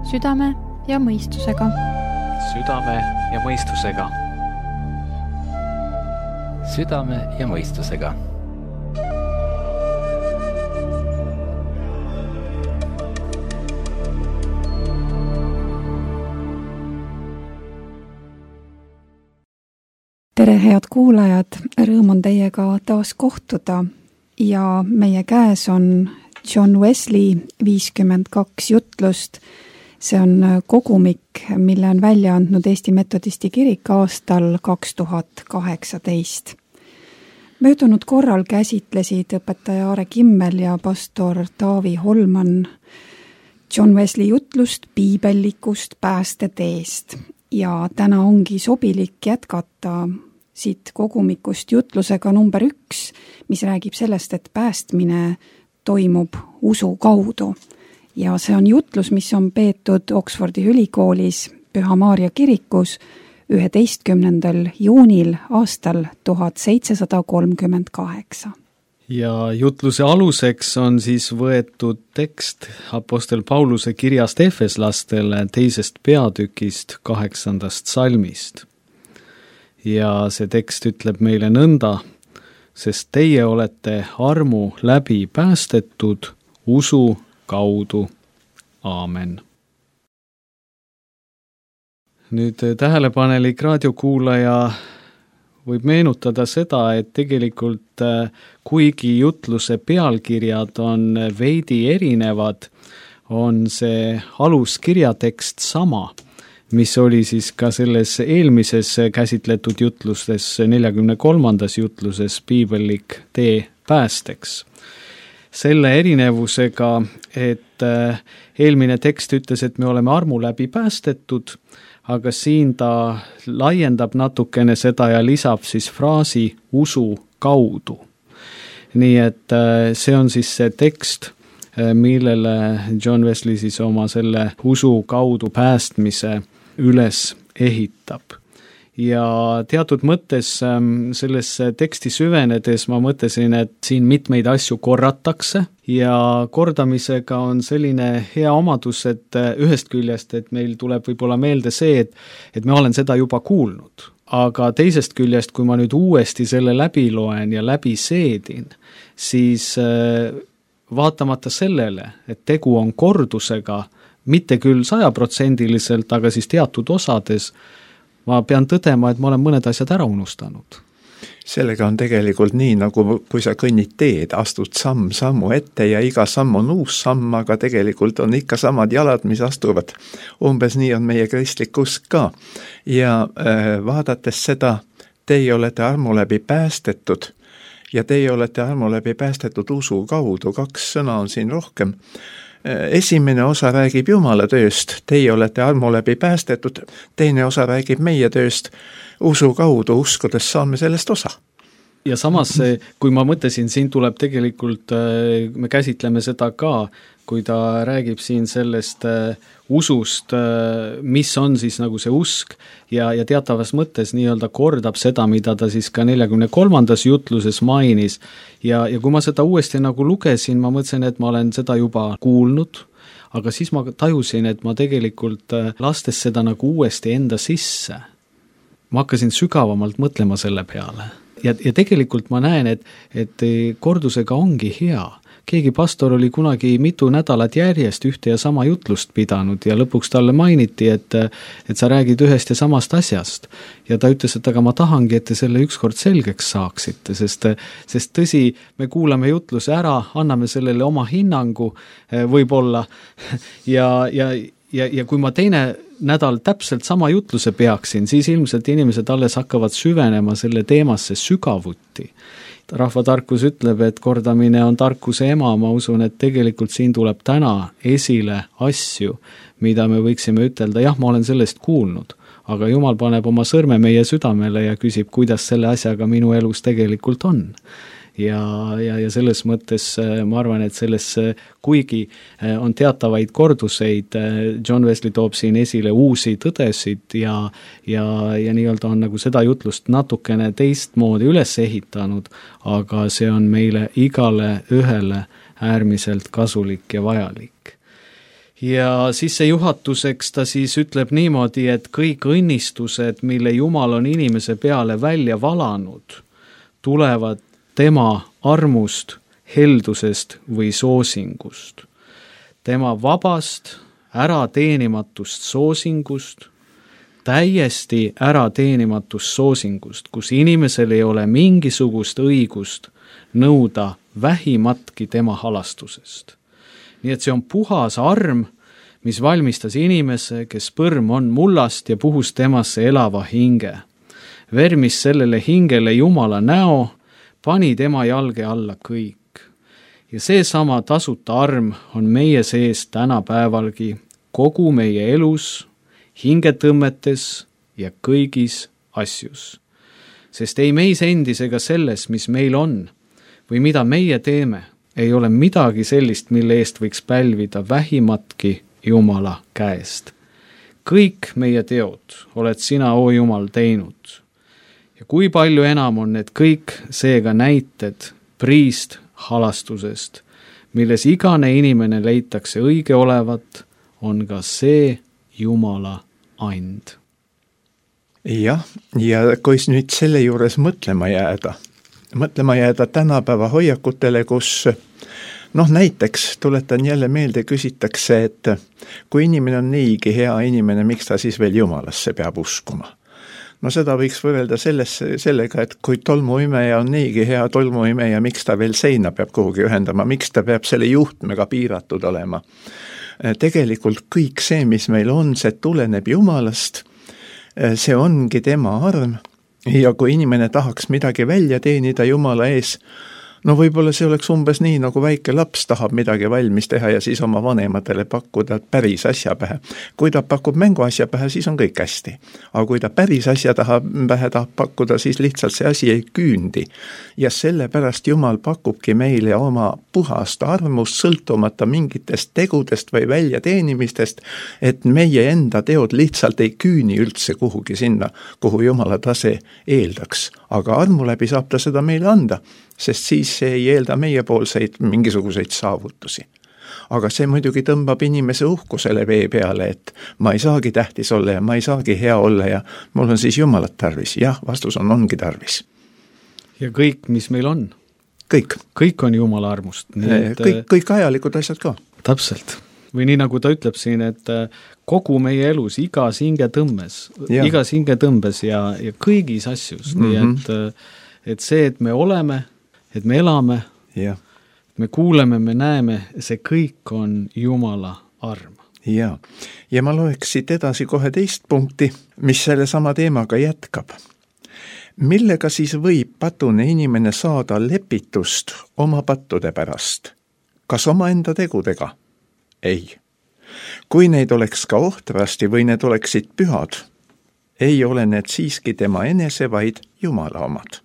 Südame ja mõistusega. Südame ja mõistusega. Südame ja mõistusega. Tere, head kuulajad, rõõm on teiega taas kohtuda ja meie käes on John Wesley 52 jutlust. See on kogumik, mille on välja andnud Eesti Metodisti Kirik aastal 2018. Möödunud korral käsitlesid õpetaja Aare Kimmel ja pastor Taavi Holman John Wesley jutlust piibellikust päästeteest. Ja täna ongi sobilik jätkata siit kogumikust jutlusega number 1, mis räägib sellest, et päästmine toimub usu kaudu. Ja see on jutlus, mis on peetud Oxfordi ülikoolis Püha Maarja kirikus 11. juunil aastal 1738. Ja jutluse aluseks on siis võetud tekst apostel Pauluse kirjast Efeslastele 2. peatükist 8. salmist. Ja see tekst ütleb meile nõnda, sest teie olete armu läbi päästetud usu kaudu. Aamen. Nüüd tähelepanelik raadiokuulaja võib meenutada seda, et tegelikult kuigi jutluse pealkirjad on veidi erinevad, on see aluskirjatekst sama, mis oli siis ka selles eelmises käsitletud jutlustes, 43. jutluses piibellik tee päästeks. Selle erinevusega, et eelmine tekst ütles, et me oleme armu läbi päästetud, aga siin ta laiendab natukene seda ja lisab siis fraasi usu kaudu. Nii et see on siis see tekst, millele John Wesley siis oma selle usu kaudu päästmise üles ehitab. Ja teatud mõttes selles teksti süvenedes ma mõtlesin, et siin mitmeid asju korratakse ja kordamisega on selline hea omadus, et ühest küljest, et meil tuleb võib-olla meelde see, et me olen seda juba kuulnud. Aga teisest küljest, kui ma nüüd uuesti selle läbi loen ja läbi seedin, siis vaatamata sellele, et tegu on kordusega, mitte küll 100%, aga siis teatud osades, ma pean tõdema, et ma olen mõned asjad ära unustanud. Sellega on tegelikult nii, nagu kui sa kõnnid teed, astud sammu ette ja iga samm on uus samm, aga tegelikult on ikka samad jalad, mis astuvad. Umbes nii on meie kristlik usk ka. Ja vaadates seda, teie olete armu läbi päästetud ja teie olete armu läbi päästetud usu kaudu, 2 sõna on siin rohkem. Esimene osa räägib Jumala tööst, teie olete armu läbi päästetud, teine osa räägib meie tööst, usu kaudu uskudes saame sellest osa. Ja samas, kui ma mõtlesin, siin tuleb tegelikult, me käsitleme seda ka, kui ta räägib siin sellest usust, mis on siis nagu see usk ja teatavas mõttes nii-öelda kordab seda, mida ta siis ka 43. jutluses mainis. Ja kui ma seda uuesti nagu lugesin, ma mõtlesin, et ma olen seda juba kuulnud, aga siis ma tajusin, et ma tegelikult lastes seda nagu uuesti enda sisse, ma hakkasin sügavamalt mõtlema selle peale. Ja tegelikult ma näen, et kordusega ongi hea. Keegi pastor oli kunagi mitu nädalat järjest ühte ja sama jutlust pidanud ja lõpuks talle mainiti, et sa räägid ühest ja samast asjast. Ja ta ütles, et aga ma tahangi, et te selle ükskord selgeks saaksite, sest tõsi, me kuulame jutluse ära, anname sellele oma hinnangu võib-olla ja kui ma teine nädal täpselt sama jutluse peaksin, siis ilmselt inimesed alles hakkavad süvenema selle teemasse sügavuti. Rahvatarkus ütleb, et kordamine on tarkuse ema, ma usun, et tegelikult siin tuleb täna esile asju, mida me võiksime ütelda, jah, ma olen sellest kuulnud, aga Jumal paneb oma sõrme meie südamele ja küsib, kuidas selle asjaga minu elus tegelikult on. Ja selles mõttes ma arvan, et selles, kuigi on teatavaid korduseid, John Wesley toob siin esile uusi tõdesid ja nii-öelda on nagu seda jutlust natukene teistmoodi üles ehitanud, aga see on meile igale ühele äärmiselt kasulik ja vajalik. ja sissejuhatuseks ta siis ütleb niimoodi, et kõik õnnistused, mille Jumal on inimese peale välja valanud, tulevad tema armust, heldusest või soosingust. Tema vabast, ärateenimatust soosingust, täiesti ärateenimatust soosingust, kus inimesel ei ole mingisugust õigust nõuda vähimatki tema halastusest. Nii et see on puhas arm, mis valmistas inimese, kes põrm on mullast ja puhus temasse elava hinge. Vermis sellele hingele Jumala näo, pani tema jalge alla kõik. Ja seesama tasuta arm on meie sees tänapäevalgi kogu meie elus, hingetõmmetes ja kõigis asjus. Sest ei meis endis ega selles, mis meil on või mida meie teeme, ei ole midagi sellist, mille eest võiks pälvida vähimatki Jumala käest. Kõik meie teod oled sina, o Jumal, teinud. Ja kui palju enam on need kõik seega näited priist halastusest, milles igane inimene leitakse õige olevat, on ka see Jumala and. Jah, ja kui nüüd selle juures mõtlema jääda tänapäeva hoiakutele, kus näiteks tuletan jälle meelde, küsitakse, et kui inimene on niigi hea inimene, miks ta siis veel Jumalasse peab uskuma? Seda võiks võrrelda sellega, et kui tolmuimeja on niigi hea tolmuimeja, miks ta veel seina peab kuhugi ühendama, miks ta peab selle juhtmega piiratud olema? Tegelikult kõik see, mis meil on, see tuleneb Jumalast, see ongi tema arm ja kui inimene tahaks midagi välja teenida Jumala ees, võib-olla see oleks umbes nii, nagu väike laps tahab midagi valmis teha ja siis oma vanematele pakkuda päris asja pähe. Kui ta pakub mänguasja pähe, siis on kõik hästi. Aga kui ta päris asja pähe tahab pakkuda, siis lihtsalt see asi ei küündi. Ja sellepärast Jumal pakubki meile oma puhast armust, sõltumata mingitest tegudest või väljateenimistest, et meie enda teod lihtsalt ei küüni üldse kuhugi sinna, kuhu Jumala tase eeldaks. Aga armu läbi saab ta seda meile anda, sest siis see ei eelda meiepoolseid mingisuguseid saavutusi. Aga see muidugi tõmbab inimese uhkusele vee peale, et ma ei saagi tähtis olla ja ma ei saagi hea olla ja mul on siis Jumalat tarvis. Jah, vastus ongi tarvis. Ja kõik, mis meil on? Kõik on Jumala armust. Kõik ajalikud asjad ka. Täpselt. Või nii nagu ta ütleb siin, et kogu meie elus, igas hingetõmbes ja kõigis asjus. Nii et see, et me oleme, et me elame, me kuuleme, me näeme, see kõik on Jumala arm. Ja ma loeks siit edasi kohe teist punkti, mis selle sama teemaga jätkab. Millega siis võib patune inimene saada lepitust oma pattude pärast? Kas oma enda tegudega? Ei. Kui neid oleks ka ohtrasti või need oleksid pühad, ei ole need siiski tema enese, vaid Jumala omad.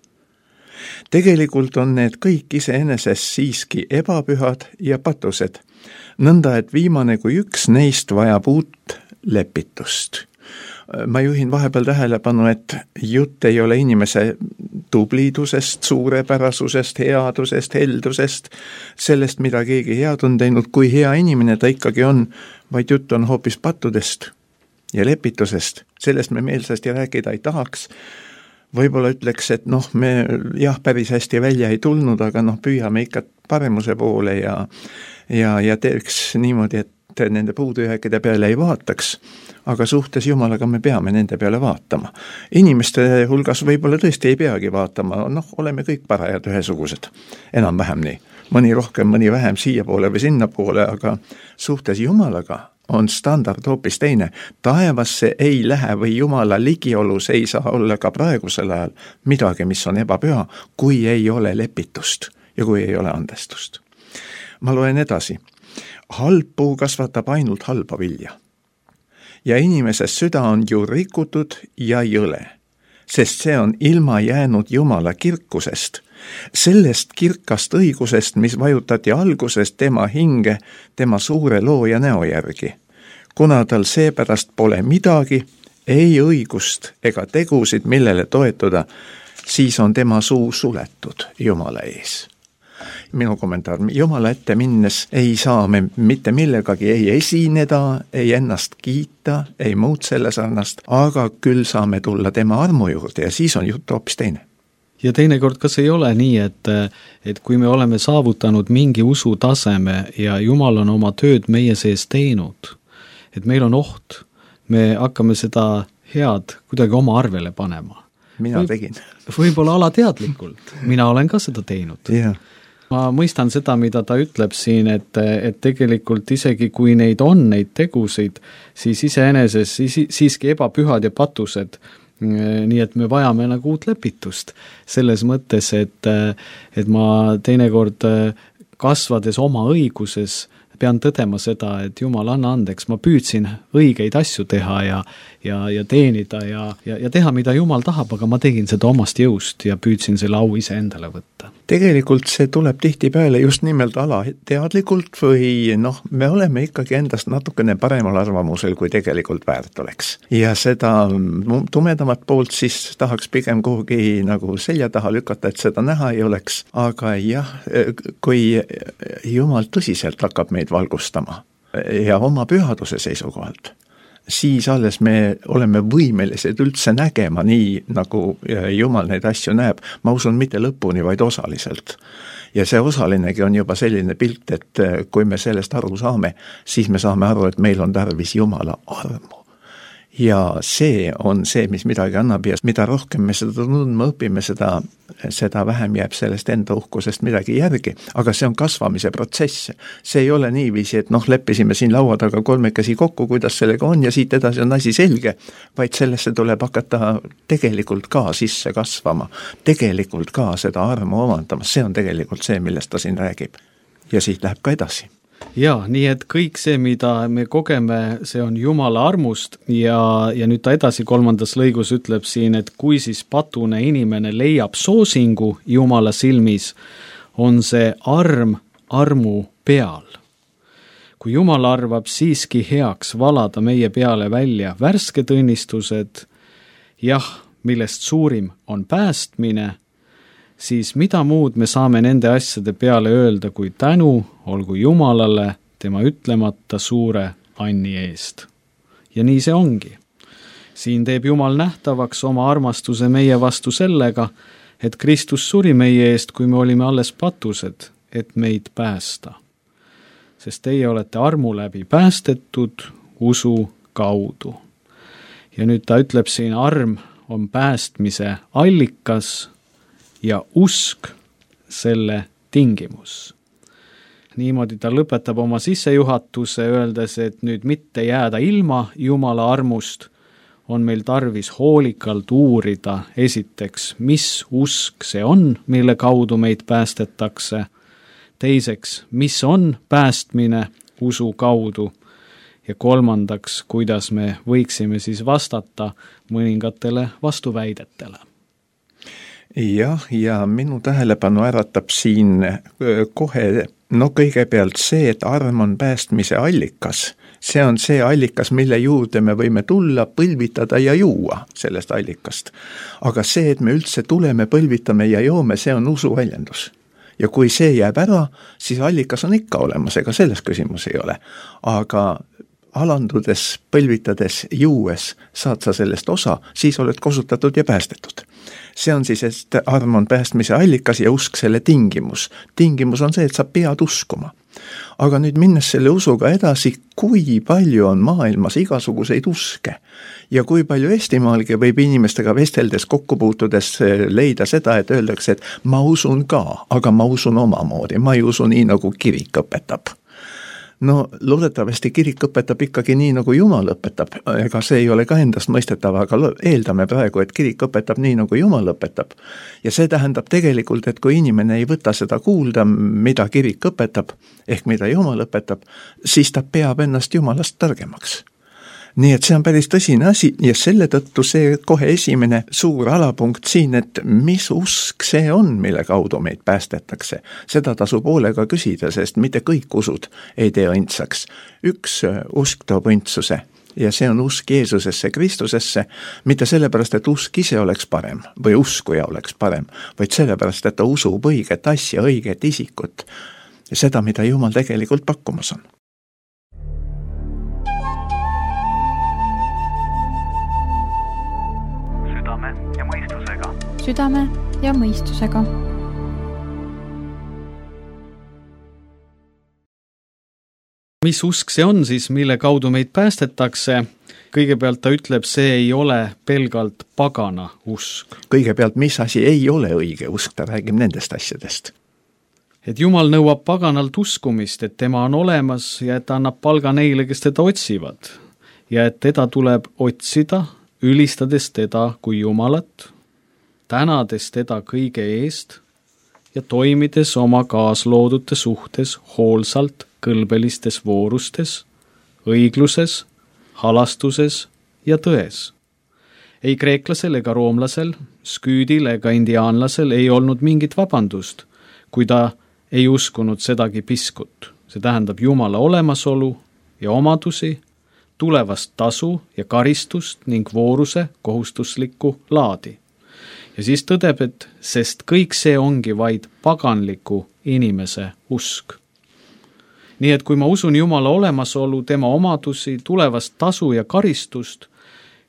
Tegelikult on need kõik iseeneses siiski ebapühad ja patused, nõnda et viimane kui üks neist vajab uut lepitust. Ma juhin vahepeal tähelepanu, et jutt ei ole inimese tublidusest, suurepärasusest, headusest, heldusest, sellest, mida keegi head on teinud, kui hea inimene ta ikkagi on, vaid jutt on hoopis pattudest ja lepitusest. Sellest me meelsasti rääkida ei tahaks. Võib-olla ütleks, et me päris hästi välja ei tulnud, aga püüame ikka paremuse poole ja teeks niimoodi, et nende puudujääkide peale ei vaataks, aga suhtes Jumalaga me peame nende peale vaatama. Inimeste hulgas võib-olla tõesti ei peagi vaatama, oleme kõik parajad ühesugused, enam-vähem nii. Mõni rohkem, mõni vähem siia poole või sinna poole, aga suhtes Jumalaga on standard hoopis teine. Taevasse ei lähe või Jumala ligiolus ei saa olla ka praegusel ajal midagi, mis on ebapüha, kui ei ole lepitust ja kui ei ole andestust. Ma loen edasi. Halb puu kasvatab ainult halba vilja. Ja inimeses süda on ju rikutud ja jõle, sest see on ilma jäänud Jumala kirkusest, sellest kirkast õigusest, mis vajutati algusest tema hinge, tema suure looja näo järgi. Kuna tal seepärast pole midagi, ei õigust ega tegusid, millele toetuda, siis on tema suu suletud Jumala ees. Minu kommentaar, Jumala ette minnes ei saa me mitte millegagi ei esineda, ei ennast kiita, ei muud selle sarnast, aga küll saame tulla tema armu juurde ja siis on jutt hoopis teine. Ja teinekord kas ei ole nii, et kui me oleme saavutanud mingi usutaseme ja Jumal on oma tööd meie sees teinud, et meil on oht, me hakkame seda head kuidagi oma arvele panema. Mina tegin. Võib-olla alateadlikult. Mina olen ka seda teinud. Yeah. Ma mõistan seda, mida ta ütleb siin, et tegelikult isegi kui neid on, neid tegusid, siis iseeneses siiski ebapühad ja patused, nii et me vajame nagu uut lepitust. Selles mõttes, et ma teinekord kasvades oma õiguses pean tõdema seda, et Jumal, anna andeks, ma püüdsin õigeid asju teha ja teenida ja teha, mida Jumal tahab, aga ma tegin seda omast jõust ja püüdsin selle au ise endale võtta. Tegelikult see tuleb tihtipeale just nimelt alateadlikult või me oleme ikkagi endast natukene paremal arvamusel, kui tegelikult väärt oleks. Ja seda tumedamat poolt siis tahaks pigem kuhugi nagu selja taha lükata, et seda näha ei oleks, aga jah, kui Jumal tõsiselt hakkab meid valgustama ja oma pühaduse seisukohalt, siis alles me oleme võimelised üldse nägema nii, nagu Jumal neid asju näeb. Ma usun mitte lõpuni, vaid osaliselt. Ja see osalinegi on juba selline pilt, et kui me sellest aru saame, siis me saame aru, et meil on tarvis Jumala armu. Ja see on see, mis midagi annab ja mida rohkem me seda tundma õpime, seda vähem jääb sellest enda uhkusest midagi järgi, aga see on kasvamise protsess. See ei ole niiviisi, et leppisime siin laua taga kolmekesi kokku, kuidas sellega on ja siit edasi on asi selge, vaid sellesse tuleb hakata tegelikult ka sisse kasvama, tegelikult ka seda armu omandama, see on tegelikult see, millest ta siin räägib. Ja siit läheb ka edasi. Jaa, nii et kõik see, mida me kogeme, see on Jumala armust ja nüüd ta edasi 3. lõigus ütleb siin, et kui siis patune inimene leiab soosingu Jumala silmis, on see armu peal. Kui Jumal arvab siiski heaks valada meie peale välja värsked õnnistused, millest suurim on päästmine, siis mida muud me saame nende asjade peale öelda kui tänu, olgu Jumalale tema ütlemata suure anni eest. Ja nii see ongi. Siin teeb Jumal nähtavaks oma armastuse meie vastu sellega, et Kristus suri meie eest, kui me olime alles patused, et meid päästa. Sest teie olete armu läbi päästetud usu kaudu. Ja nüüd ta ütleb siin, arm on päästmise allikas ja usk selle tingimus. Niimoodi ta lõpetab oma sissejuhatuse, öeldes, et nüüd mitte jääda ilma Jumala armust, on meil tarvis hoolikalt uurida esiteks, mis usk see on, mille kaudu meid päästetakse, teiseks, mis on päästmine usu kaudu ja kolmandaks, kuidas me võiksime siis vastata mõningatele vastuväidetele. Jah, ja minu tähelepanu äratab siin kohe, kõigepealt see, et arm on päästmise allikas. See on see allikas, mille juurde me võime tulla, põlvitada ja juua sellest allikast. Aga see, et me üldse tuleme, põlvitame ja joome, see on usuväljendus. Ja kui see jääb ära, siis allikas on ikka olemas, ega selles küsimus ei ole. Aga alandudes, põlvitades, juues saad sa sellest osa, siis oled kosutatud ja päästetud. See on siis, et arm on päästmise allikas ja usk selle tingimus. Tingimus on see, et sa pead uskuma. Aga nüüd minnes selle usuga edasi, kui palju on maailmas igasuguseid uske ja kui palju Eestimaalgi võib inimestega vesteldes, kokkupuutudes leida seda, et öeldakse, et ma usun ka, aga ma usun omamoodi, ma ei usu nii, nagu kirik õpetab. Loodetavasti kirik õpetab ikkagi nii, nagu Jumal õpetab, ega see ei ole ka endast mõistetav, aga eeldame praegu, et kirik õpetab nii, nagu Jumal õpetab. Ja see tähendab tegelikult, et kui inimene ei võta seda kuulda, mida kirik õpetab, ehk mida Jumal õpetab, siis ta peab ennast Jumalast targemaks. Nii et see on päris tõsine asi ja selle tõttu see kohe esimene suur alapunkt siin, et mis usk see on, mille kaudu meid päästetakse. Seda tasub hoolega küsida, sest mitte kõik usud ei tee õndsaks. Üks usk toob õndsuse ja see on usk Jeesusesse, Kristusesse, mitte sellepärast, et usk ise oleks parem või uskuja oleks parem, vaid sellepärast, et ta usub õiget asja, õiget isikut ja seda, mida Jumal tegelikult pakkumas on. Südame ja mõistusega. Südame ja mõistusega. Mis usk see on siis, mille kaudu meid päästetakse? Kõigepealt ta ütleb, see ei ole pelgalt pagana usk. Kõigepealt, mis asi ei ole õige usk, ta räägib nendest asjadest. Et Jumal nõuab paganalt uskumist, et tema on olemas ja et ta annab palga neile, kes teda otsivad. Ja et teda tuleb otsida, ülistades teda kui Jumalat, tänades teda kõige eest ja toimides oma kaasloodute suhtes hoolsalt kõlbelistes voorustes, õigluses, halastuses ja tões. Ei kreeklasel ega roomlasel, sküüdil ega indiaanlasel ei olnud mingit vabandust, kui ta ei uskunud sedagi piskut. See tähendab Jumala olemasolu ja omadusi, tulevast tasu ja karistust ning vooruse kohustuslikku laadi. Ja siis tõdeb, et sest kõik see ongi vaid paganliku inimese usk. Nii et kui ma usun Jumala olemasolu, tema omadusi, tulevast tasu ja karistust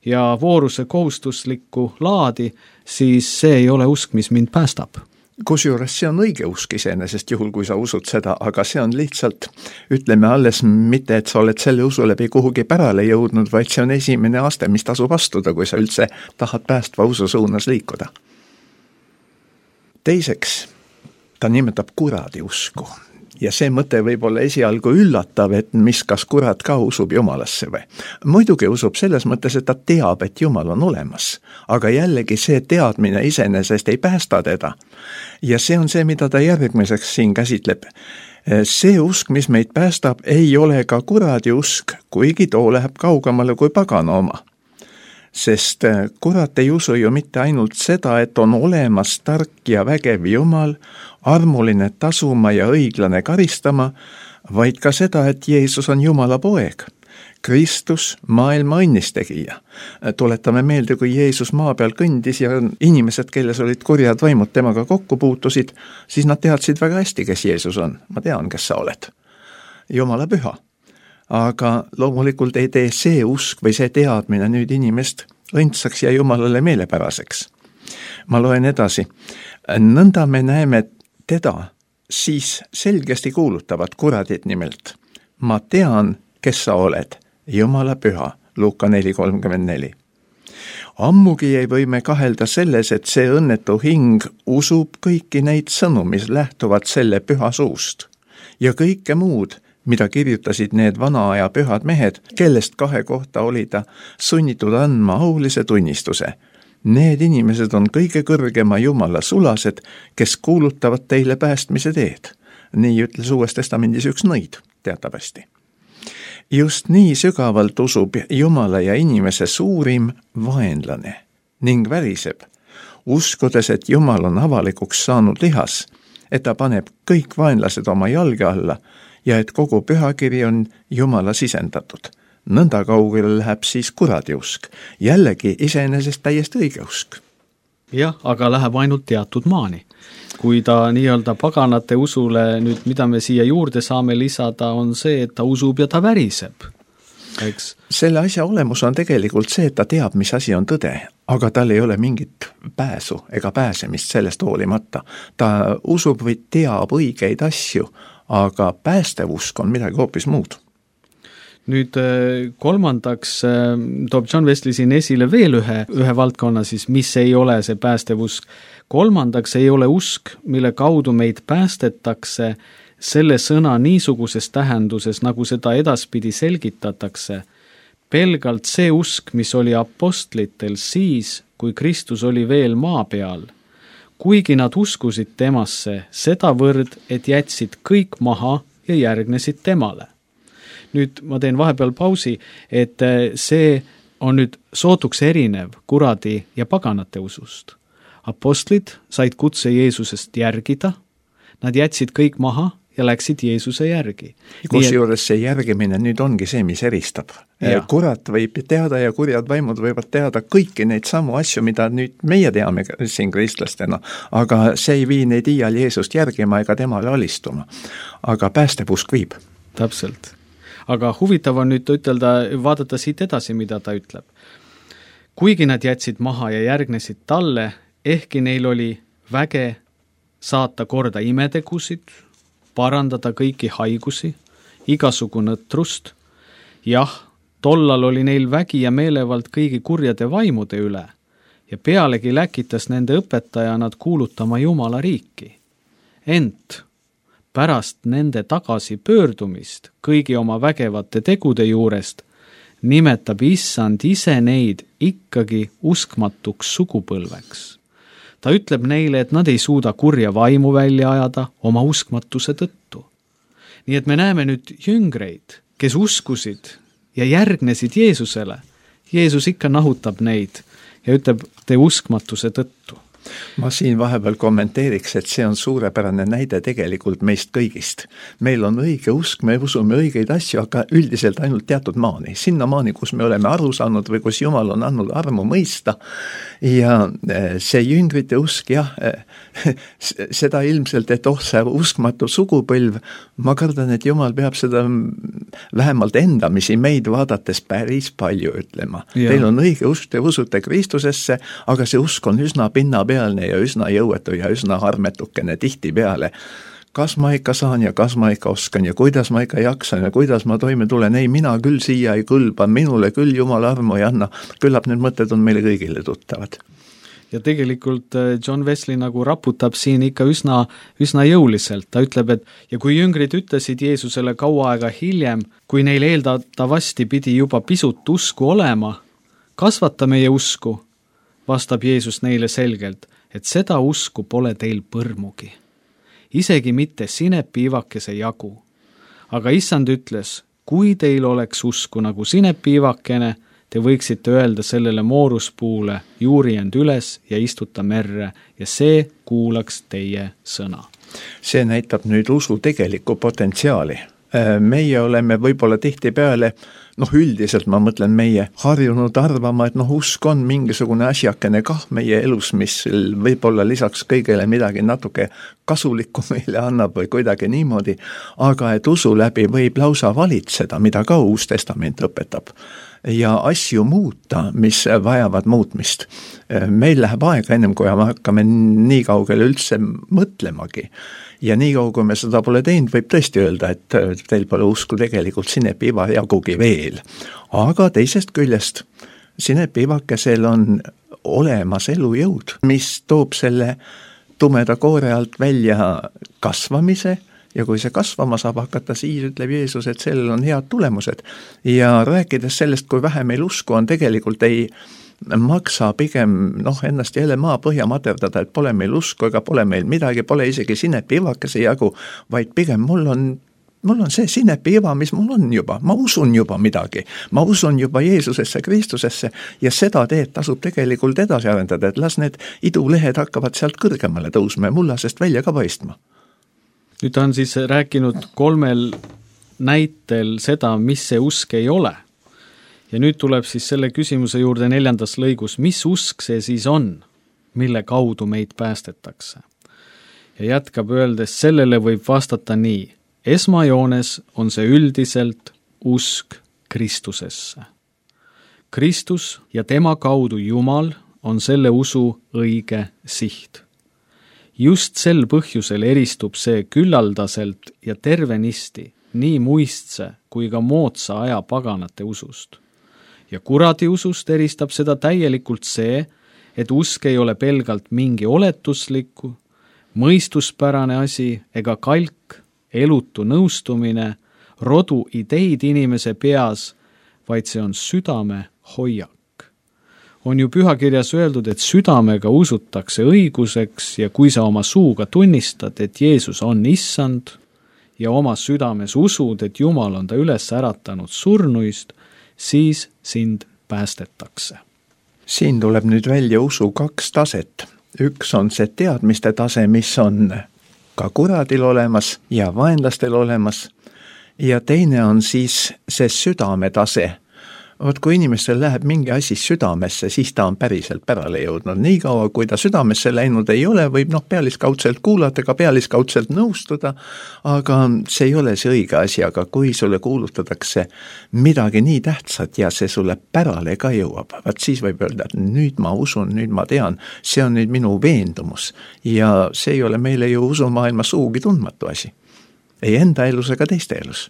ja vooruse kohustuslikku laadi, siis see ei ole usk, mis mind päästab. Kusjuures see on õige usk iseenesest, juhul kui sa usud seda, aga see on lihtsalt, ütleme alles mitte, et sa oled selle usu läbi kuhugi pärale jõudnud, vaid see on esimene aste, mis tasub astuda, kui sa üldse tahad päästva usu suunas liikuda. Teiseks, ta nimetab kuradi usku. Ja see mõte võib olla esialgu üllatav, et mis kas kurat ka usub Jumalasse või. Muidugi usub selles mõttes, et ta teab, et Jumal on olemas, aga jällegi see teadmine iseenesest ei päästa teda. Ja see on see, mida ta järgmiseks siin käsitleb. See usk, mis meid päästab, ei ole ka kuradi usk, kuigi too läheb kaugemale kui pagana oma. Sest kurat ei usu ju mitte ainult seda, et on olemas tark ja vägev Jumal, armuline tasuma ja õiglane karistama, vaid ka seda, et Jeesus on Jumala poeg. Kristus, maailma õnnistegija. Tuletame meelde, kui Jeesus maa peal kõndis ja inimesed, kelles olid kurjad vaimud temaga kokku puutusid, siis nad teadsid väga hästi, kes Jeesus on. Ma tean, kes sa oled. Jumala püha. Aga loomulikult ei tee see usk või see teadmine nüüd inimest õndsaks ja Jumalale meelepäraseks. Ma loen edasi. Nõnda me näeme teda siis selgesti kuulutavat kuradit nimelt. Ma tean, kes sa oled, Jumala püha, Luuka 4:34. Ammugi ei või me kahelda selles, et see õnnetu hing usub kõiki neid sõnu, mis lähtuvad selle püha suust ja kõike muud, mida kirjutasid need vana aja pühad mehed, kellest 2 kohta oli ta sunnitud andma aulise tunnistuse. Need inimesed on kõige kõrgema Jumala sulased, kes kuulutavad teile päästmise teed. Nii ütles Uues Testamendis üks nõid, teatavasti. Just nii sügavalt usub Jumala ja inimese suurim vaenlane ning väriseb, uskudes, et Jumal on avalikuks saanud lihas, et ta paneb kõik vaenlased oma jalge alla ja et kogu pühakiri on Jumala sisendatud. Nõnda kaugele läheb siis kuradi usk. Jällegi iseenesest täiesti õige usk. Jah, aga läheb ainult teatud maani. Kui ta nii-öelda paganate usule, nüüd mida me siia juurde saame lisada, on see, et ta usub ja ta väriseb. Eks? Selle asja olemus on tegelikult see, et ta teab, mis asi on tõde, aga tal ei ole mingit pääsu ega pääsemist sellest hoolimata. Ta usub või teab õigeid asju, aga päästev usk on midagi hoopis muud. Nüüd kolmandaks toob John Wesley siin esile veel ühe valdkonna siis, mis ei ole see päästev usk. Kolmandaks ei ole usk, mille kaudu meid päästetakse selle sõna niisuguses tähenduses, nagu seda edaspidi selgitatakse, pelgalt see usk, mis oli apostlitel siis, kui Kristus oli veel maa peal. Kuigi nad uskusid temasse sedavõrd, et jätsid kõik maha ja järgnesid temale. Nüüd ma teen vahepeal pausi, et see on nüüd sootuks erinev kuradi ja paganate usust. Apostlid said kutse Jeesusest järgida, nad jätsid kõik maha ja läksid Jeesuse järgi. Kusjuures see järgimine nüüd ongi see, mis eristab. Kurat võib teada ja kurjad vaimud võivad teada kõiki neid samu asju, mida nüüd meie teame siin kristlastena, aga see ei vii neid iial Jeesust järgima ega temale alistuma. Aga päästepusk viib. Täpselt. Aga huvitav on nüüd ütelda, vaadata siit edasi, mida ta ütleb. Kuigi nad jätsid maha ja järgnesid talle, ehkki neil oli väge saata korda imetegusid, parandada kõiki haigusi, igasugu nõtrust. Jah, tollal oli neil vägi ja meelevald kõigi kurjade vaimude üle ja pealegi läkitas nende õpetaja nad kuulutama Jumala riiki. Ent pärast nende tagasi pöördumist kõigi oma vägevate tegude juurest nimetab Issand ise neid ikkagi uskmatuks sugupõlveks. Ta ütleb neile, et nad ei suuda kurja vaimu välja ajada oma uskmatuse tõttu. Nii et me näeme nüüd jüngreid, kes uskusid ja järgnesid Jeesusele. Jeesus ikka nahutab neid ja ütleb te uskmatuse tõttu. Ma siin vahepeal kommenteeriks, et see on suurepärane näide tegelikult meist kõigist. Meil on õige usk, me usume õigeid asju, aga üldiselt ainult teatud maani. Sinna maani, kus me oleme aru saanud või kus Jumal on andnud armu mõista. Ja see jüngrite usk, jah, seda ilmselt, et see uskmatu sugupõlv, ma kardan, et Jumal peab seda vähemalt endamisi meid vaadates päris palju ütlema. Ja. Teil on õige usk, te usute Kristusesse, aga see usk on üsna pinnapealne ja üsna jõuetu ja üsna harmetukene tihti peale. Kas ma ikka saan ja kas ma ikka oskan ja kuidas ma ikka jaksan ja kuidas ma toime tulen, ei, mina küll siia ei kõlba, minule küll Jumal armu ei anna, küllap need mõtted on meile kõigile tuttavad. Ja tegelikult John Wesley nagu raputab siin ikka üsna jõuliselt. Ta ütleb, et ja kui jüngrid ütlesid Jeesusele kaua aega hiljem, kui neil eeldatavasti pidi juba pisut usku olema, kasvata meie usku, vastab Jeesus neile selgelt, et seda usku pole teil põrmugi. Isegi mitte sinepiivakese jagu. Aga Issand ütles, kui teil oleks usku nagu sinepiivakene, te võiksite öelda sellele mooruspuule, juuri end üles ja istuta merre ja see kuulaks teie sõna. See näitab nüüd usu tegelikku potentsiaali. Meie oleme võib-olla tihtipeale, üldiselt ma mõtlen meie harjunud arvama, et usk on mingisugune asjakene kah meie elus, mis võib-olla lisaks kõigele midagi natuke kasulikku meile annab või kuidagi niimoodi, aga et usu läbi võib lausa valitseda, mida ka Uus Testament õpetab. Ja asju muuta, mis vajavad muutmist. Meil läheb aega ennem, kui me hakkame nii kaugele üldse mõtlemagi. Ja nii kaua, kui me seda pole teinud, võib tõesti öelda, et teil pole usku tegelikult sinepiiva jagugi veel. Aga teisest küljest sinepiivakesel on olemas elujõud, mis toob selle tumeda koore alt välja kasvamise. Ja kui see kasvama saab hakata, siis ütleb Jeesus, et sellel on head tulemused. Ja rääkides sellest, kui vähe meil usku on, tegelikult ei maksa pigem ennast jälle maa põhja materdada, et pole meil usku ega pole meil midagi, pole isegi sinepiivakese jagu, vaid pigem mul on see sinepiiva, mis mul on juba. Ma usun juba midagi. Ma usun juba Jeesusesse, Kristusesse ja seda teed tasub tegelikult edasi arendada, et las need idulehed hakkavad sealt kõrgemale tõusma ja mullasest välja ka paistma. Nüüd on siis rääkinud 3 näitel seda, mis see usk ei ole. Ja nüüd tuleb siis selle küsimuse juurde 4. lõigus, mis usk see siis on, mille kaudu meid päästetakse. Ja jätkab öeldes, sellele võib vastata nii. Esmajoones on see üldiselt usk Kristusesse. Kristus ja tema kaudu Jumal on selle usu õige siht. Just sel põhjusel eristub see küllaldaselt ja tervenisti nii muistse kui ka moodsa aja paganate usust. Ja kuradi usust eristab seda täielikult see, et usk ei ole pelgalt mingi oletusliku, mõistuspärane asi ega kalk, elutu nõustumine, rodu ideid inimese peas, vaid see on südame hoiak. On ju pühakirjas öeldud, et südamega usutakse õiguseks ja kui sa oma suuga tunnistad, et Jeesus on Issand ja oma südames usud, et Jumal on ta üles äratanud surnuist, siis sind päästetakse. Siin tuleb nüüd välja usu 2 taset. Üks on see teadmiste tase, mis on ka kuradil olemas ja vaenlastel olemas. Ja teine on siis see südametase. Vot kui inimestel läheb mingi asi südamesse, siis ta on päriselt pärale jõudnud. Nii kaua, kui ta südamesse läinud ei ole, võib pealiskaudselt kuulata, ka pealiskaudselt nõustuda, aga see ei ole see õige asi, aga kui sulle kuulutatakse midagi nii tähtsat ja see sulle pärale ka jõuab, vaat siis võib öelda, et nüüd ma usun, nüüd ma tean, see on nüüd minu veendumus ja see ei ole meile ju usumaailma suugi tundmatu asi. Ei enda elus ega teiste elus.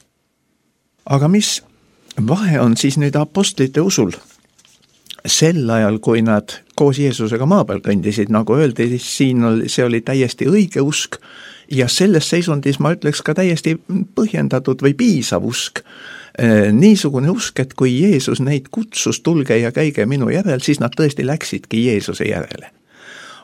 Aga mis vahe on siis nüüd apostlite usul? Sel ajal, kui nad koos Jeesusega maa peal kõndisid, nagu öeldi, see oli täiesti õige usk ja selles seisundis ma ütleks ka täiesti põhjendatud või piisav usk. Niisugune usk, et kui Jeesus neid kutsus, tulge ja käige minu järel, siis nad tõesti läksidki Jeesuse järele.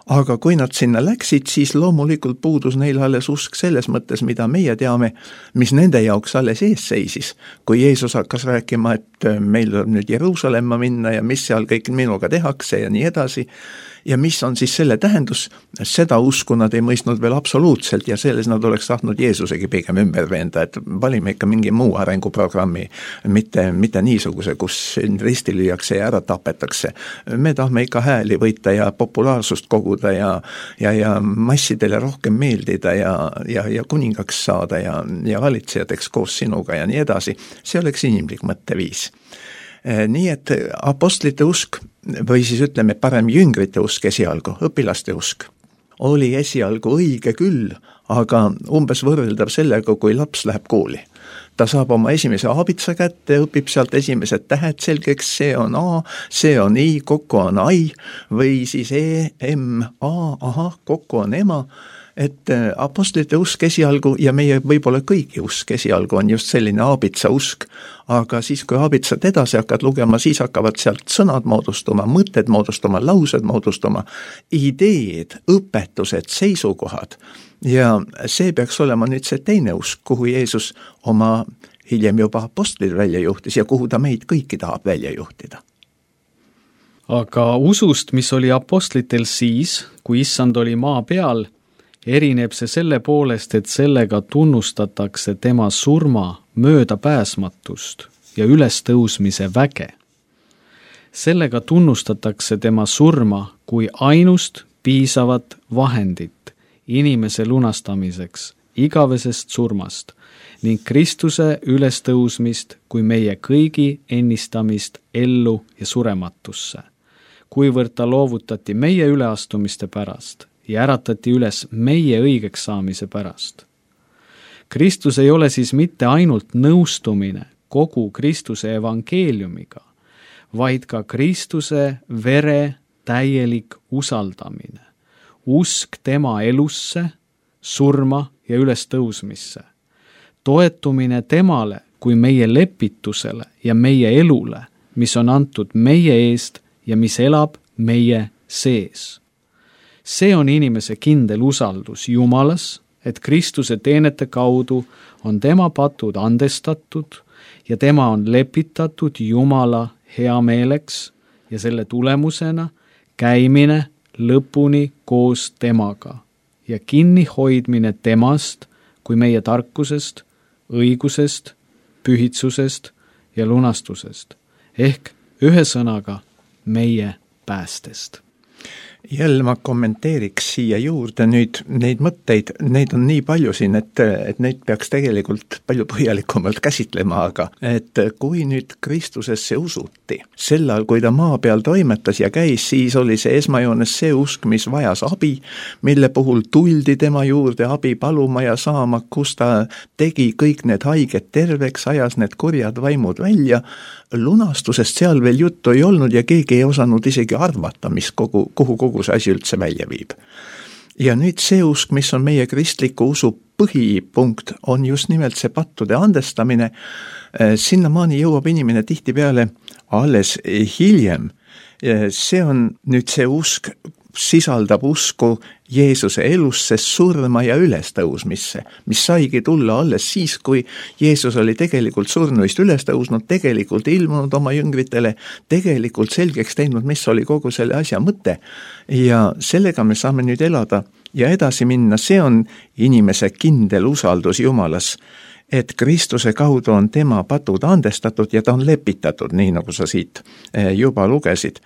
Aga kui nad sinna läksid, siis loomulikult puudus neil alles usk selles mõttes, mida meie teame, mis nende jaoks alles ees seisis. Kui Jeesus hakkas rääkima, et meil tuleb nüüd Jeruusalemma minna ja mis seal kõik minuga tehakse ja nii edasi, ja mis on siis selle tähendus, seda usku nad ei mõistnud veel absoluutselt ja selles nad oleks tahtnud Jeesusegi pigem ümber veenda, et valime ikka mingi muu arenguprogrammi, mitte niisuguse, kus risti lüüakse ja ära tapetakse. Me tahame ikka hääli võita ja populaarsust koguda ja massidele rohkem meeldida ja kuningaks saada ja valitsejateks koos sinuga ja nii edasi. See oleks inimlik mõtteviis. Nii et apostlite usk või siis ütleme parem jüngrite usk esialgu, õpilaste usk, oli esialgu õige küll, aga umbes võrreldav sellega, kui laps läheb kooli. Ta saab oma esimese aabitsa kätte, õpib sealt esimesed tähed selgeks, see on A, see on I, kokku on ai, või siis E, M, A, aha, kokku on ema. Et apostlite usk esialgu ja meie võib-olla kõigi usk esialgu on just selline aabitsa usk, aga siis kui aabitsat edasi hakkad lugema, siis hakkavad sealt sõnad moodustuma, mõtted moodustuma, laused moodustuma, ideed, õpetused, seisukohad ja see peaks olema nüüd see teine usk, kuhu Jeesus oma hiljem juba apostlid välja juhtis ja kuhu ta meid kõiki tahab välja juhtida. Aga usust, mis oli apostlitel siis, kui issand oli maa peal, erineb see selle poolest, et sellega tunnustatakse tema surma möödapääsmatust ja ülestõusmise väge. Sellega tunnustatakse tema surma kui ainust piisavat vahendit inimese lunastamiseks igavesest surmast ning Kristuse ülestõusmist kui meie kõigi ennistamist ellu ja surematusse, kuivõrd ta loovutati meie üleastumiste pärast ja äratati üles meie õigeks saamise pärast. Kristus ei ole siis mitte ainult nõustumine kogu Kristuse evangeeliumiga, vaid ka Kristuse vere täielik usaldamine, usk tema elusse, surma ja ülestõusmisse, toetumine temale kui meie lepitusele ja meie elule, mis on antud meie eest ja mis elab meie sees. See on inimese kindel usaldus Jumalas, et Kristuse teenete kaudu on tema patud andestatud ja tema on lepitatud Jumala heameeleks ja selle tulemusena käimine lõpuni koos temaga ja kinni hoidmine temast kui meie tarkusest, õigusest, pühitsusest ja lunastusest, ehk ühe sõnaga meie päästest. Jälle ma kommenteeriks siia juurde nüüd neid mõtteid, neid on nii palju siin, et neid peaks tegelikult palju põhjalikumalt käsitlema, aga et kui nüüd Kristusesse usuti, sel ajal, kui ta maa peal toimetas ja käis, siis oli see esmajoones see usk, mis vajas abi, mille puhul tuldi tema juurde abi paluma ja saama, kus ta tegi kõik need haiged terveks, ajas need kurjad vaimud välja. Lunastusest seal veel juttu ei olnud ja keegi ei osanud isegi arvata, kuhu kogu see asi üldse välja viib. Ja nüüd see usk, mis on meie kristliku usu põhipunkt, on just nimelt see pattude andestamine. Sinnamaani jõuab inimene tihtipeale alles hiljem. See on nüüd see usk, sisaldab usku Jeesuse elusse, surma ja ülestõusmisse, mis saigi tulla alles siis, kui Jeesus oli tegelikult surnuist ülestõusnud, tegelikult ilmunud oma jüngritele, tegelikult selgeks teinud, mis oli kogu selle asja mõte. Ja sellega me saame nüüd elada ja edasi minna, see on inimese kindel usaldus Jumalas, et Kristuse kaudu on tema patud andestatud ja ta on lepitatud, nii nagu sa siit juba lugesid.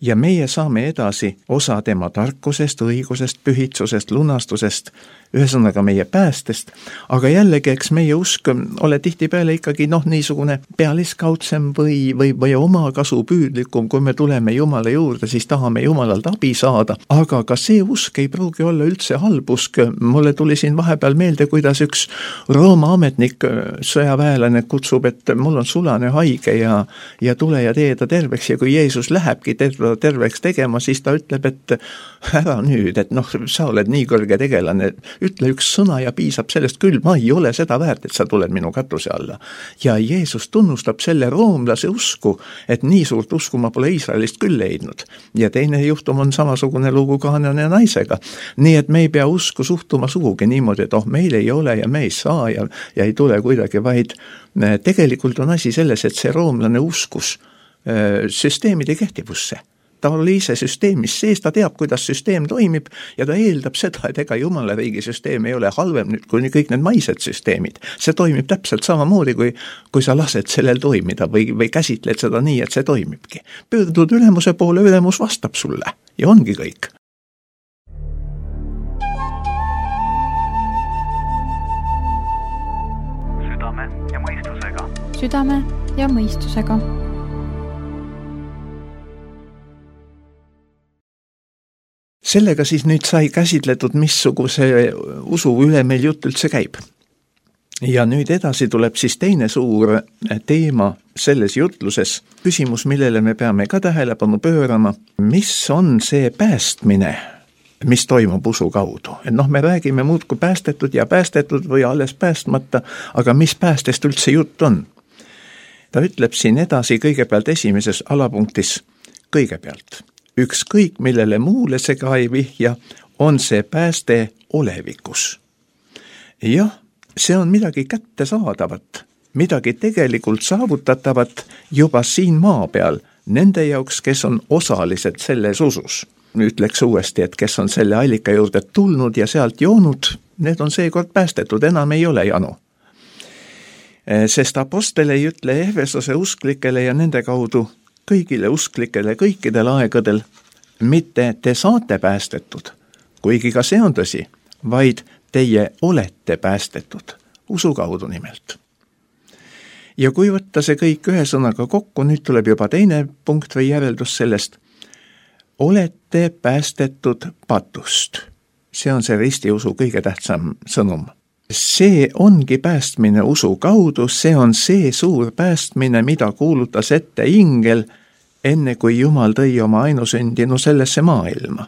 Ja meie saame edasi osa tema tarkusest, õigusest, pühitsusest, lunastusest, ühesõnaga meie päästest, aga jällegi, eks meie usk ole tihtipeale ikkagi niisugune pealiskaudsem või omakasupüüdlikum, kui me tuleme Jumala juurde, siis tahame Jumalalt abi saada, aga ka see usk ei pruugi olla üldse halb usk. Mulle tuli siin vahepeal meelde, kuidas üks Rooma ametnik, sõjaväelane kutsub, et mul on sulane haige ja tule ja tee ta terveks, ja kui Jeesus lähebki terveks tegema, siis ta ütleb, et ära nüüd, et sa oled nii kõrge tegelane, ütle üks sõna ja piisab sellest küll, ma ei ole seda väärt, et sa tuled minu katuse alla. Ja Jeesus tunnustab selle roomlase usku, et nii suurt usku ma pole Iisraelist küll leidnud. Ja teine juhtum on samasugune lugu Kaanani naisega. Nii et me ei pea usku suhtuma sugugi niimoodi, et meil ei ole ja me ei saa ja ei tule kuidagi, vaid tegelikult on asi selles, et see roomlane uskus süsteemide kehtivusse. Ta oli ise süsteemis sees, ta teab, kuidas süsteem toimib ja ta eeldab seda, et ega Jumala riigi süsteem ei ole halvem nüüd kui kõik need maised süsteemid. See toimib täpselt samamoodi, kui sa lased sellel toimida või käsitled seda nii, et see toimibki. Pöördud ülemuse poole, ülemus vastab sulle ja ongi kõik. Südame ja mõistusega. Südame ja mõistusega. Sellega siis nüüd sai käsitletud, missuguse usu üle meil jutt üldse käib. Ja nüüd edasi tuleb siis teine suur teema selles jutluses, küsimus, millele me peame ka tähelepanu pöörama, mis on see päästmine, mis toimub usu kaudu. Et me räägime muudkui päästetud või alles päästmata, aga mis päästest üldse jutt on? Ta ütleb siin edasi kõigepealt esimeses alapunktis, kõigepealt. Ükskõik, millele muule see ka ei vihja, on see pääste olevikus. Jah, see on midagi kättesaadavat, midagi tegelikult saavutatavat juba siin maa peal, nende jaoks, kes on osalised selles usus. Ütleks uuesti, et kes on selle allika juurde tulnud ja sealt joonud, need on seekord päästetud, enam ei ole janu. Sest apostel ei ütle Efesose usklikele ja nende kaudu kõigile usklikele kõikidel aegadel, mitte te saate päästetud, kuigi ka see on tõsi, vaid teie olete päästetud, usu kaudu nimelt. Ja kui võtta see kõik ühe sõnaga kokku, nüüd tuleb juba teine punkt või järeldus sellest, olete päästetud patust. See on see ristiusu kõige tähtsam sõnum. See ongi päästmine usu kaudu, see on see suur päästmine, mida kuulutas ette ingel, enne kui Jumal tõi oma ainusündinu sellesse maailma.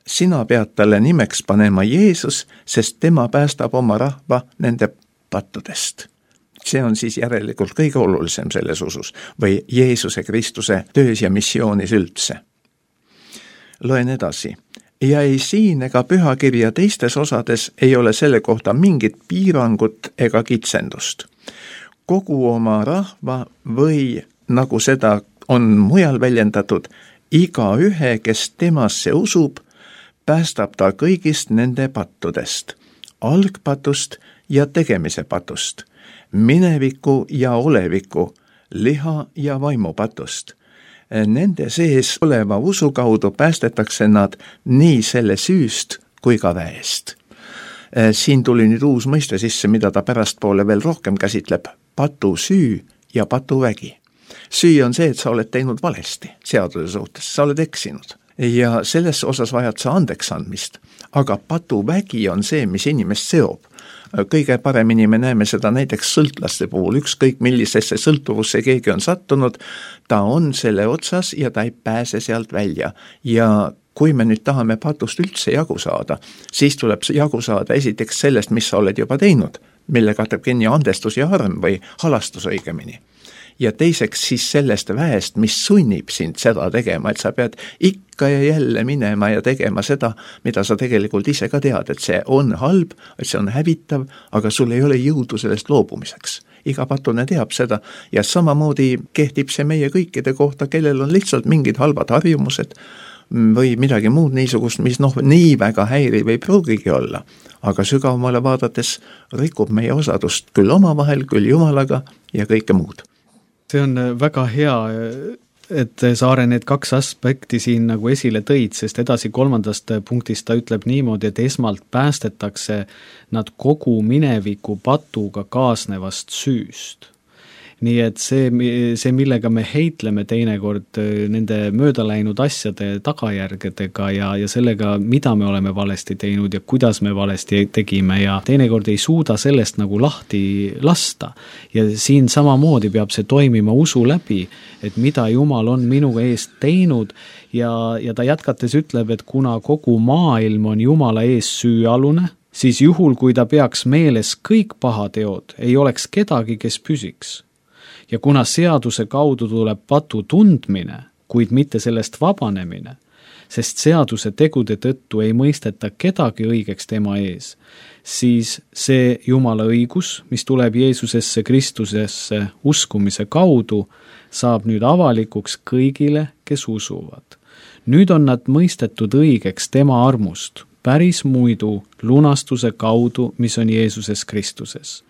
Sina pead talle nimeks panema Jeesus, sest tema päästab oma rahva nende pattudest. See on siis järelikult kõige olulisem selles usus või Jeesuse Kristuse töös ja missioonis üldse. Loen edasi. Ja ei siin ega pühakirja teistes osades ei ole selle kohta mingit piirangut ega kitsendust. Kogu oma rahva või, nagu seda on mujal väljendatud, iga ühe, kes temasse usub, päästab ta kõigist nende pattudest, algpatust ja tegemise patust, mineviku ja oleviku, liha ja vaimupatust. Nende sees oleva usu kaudu päästetakse nad nii selle süüst kui ka väest. Siin tuli nüüd uus mõiste sisse, mida ta pärastpoole veel rohkem käsitleb, patusüü ja patuvägi. Süü on see, et sa oled teinud valesti seaduse suhtes, sa oled eksinud ja selles osas vajad sa andeks andmist, aga patuvägi on see, mis inimest seob. Kõige paremini me näeme seda näiteks sõltlaste puhul, ükskõik millisesse sõltuvusse keegi on sattunud, ta on selle otsas ja ta ei pääse sealt välja. Ja kui me nüüd tahame patust üldse jagu saada, siis tuleb jagu saada esiteks sellest, mis sa oled juba teinud, mille katab kinni andestus ja arm või halastus õigemini. Ja teiseks siis sellest väest, mis sunnib sind seda tegema, et sa pead ikka ja jälle minema ja tegema seda, mida sa tegelikult ise ka tead, et see on halb, et see on hävitav, aga sul ei ole jõudu sellest loobumiseks. Iga patune teab seda ja samamoodi kehtib see meie kõikide kohta, kellel on lihtsalt mingid halvad harjumused või midagi muud niisugust, mis nii väga häiriv ei pruugigi olla, aga sügavamale vaadates rikub meie osadust küll omavahel, küll Jumalaga ja kõike muud. See on väga hea, et Saare need kaks aspekti siin nagu esile tõid, sest edasi 3. punktist ta ütleb niimoodi, et esmalt päästetakse nad kogu mineviku patuga kaasnevast süüst. Nii et see, millega me heitleme teinekord nende möödaläinud asjade tagajärgedega ja sellega, mida me oleme valesti teinud ja kuidas me valesti tegime ja teinekord ei suuda sellest nagu lahti lasta. Ja siin samamoodi peab see toimima usu läbi, et mida Jumal on minu eest teinud ja ta jätkates ütleb, et kuna kogu maailm on Jumala ees süüalune, siis juhul, kui ta peaks meeles kõik pahateod, ei oleks kedagi, kes püsiks. Ja kuna seaduse kaudu tuleb patu tundmine, kuid mitte sellest vabanemine, sest seaduse tegude tõttu ei mõisteta kedagi õigeks tema ees, siis see Jumala õigus, mis tuleb Jeesusesse Kristusesse uskumise kaudu, saab nüüd avalikuks kõigile, kes usuvad. Nüüd on nad mõistetud õigeks tema armust, päris muidu lunastuse kaudu, mis on Jeesuses Kristuses,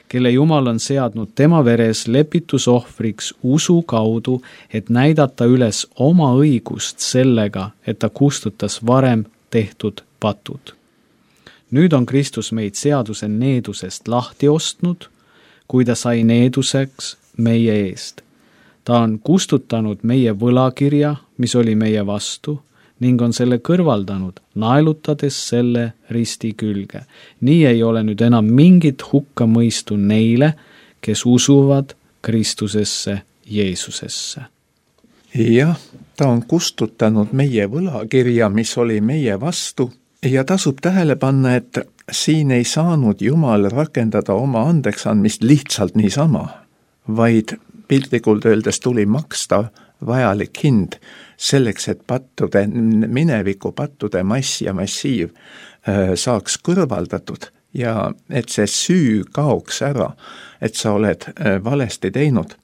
kelle Jumal on seadnud tema veres lepitusohvriks usu kaudu, et näidata üles oma õigust sellega, et ta kustutas varem tehtud patud. Nüüd on Kristus meid seaduse needusest lahti ostnud, kui ta sai needuseks meie eest. Ta on kustutanud meie võlakirja, mis oli meie vastu, ning on selle kõrvaldanud, naelutades selle risti külge. Nii ei ole nüüd enam mingit hukkamõistu neile, kes usuvad Kristusesse Jeesusesse. Jah, ta on kustutanud meie võlakirja, mis oli meie vastu, ja tasub tähele panna, et siin ei saanud Jumal rakendada oma andeksandmist lihtsalt niisama, vaid piltlikult öeldes tuli maksta vajalik hind selleks, et mineviku pattude mass ja massiiv saaks kõrvaldatud ja et see süü kaoks ära, et sa oled valesti teinud.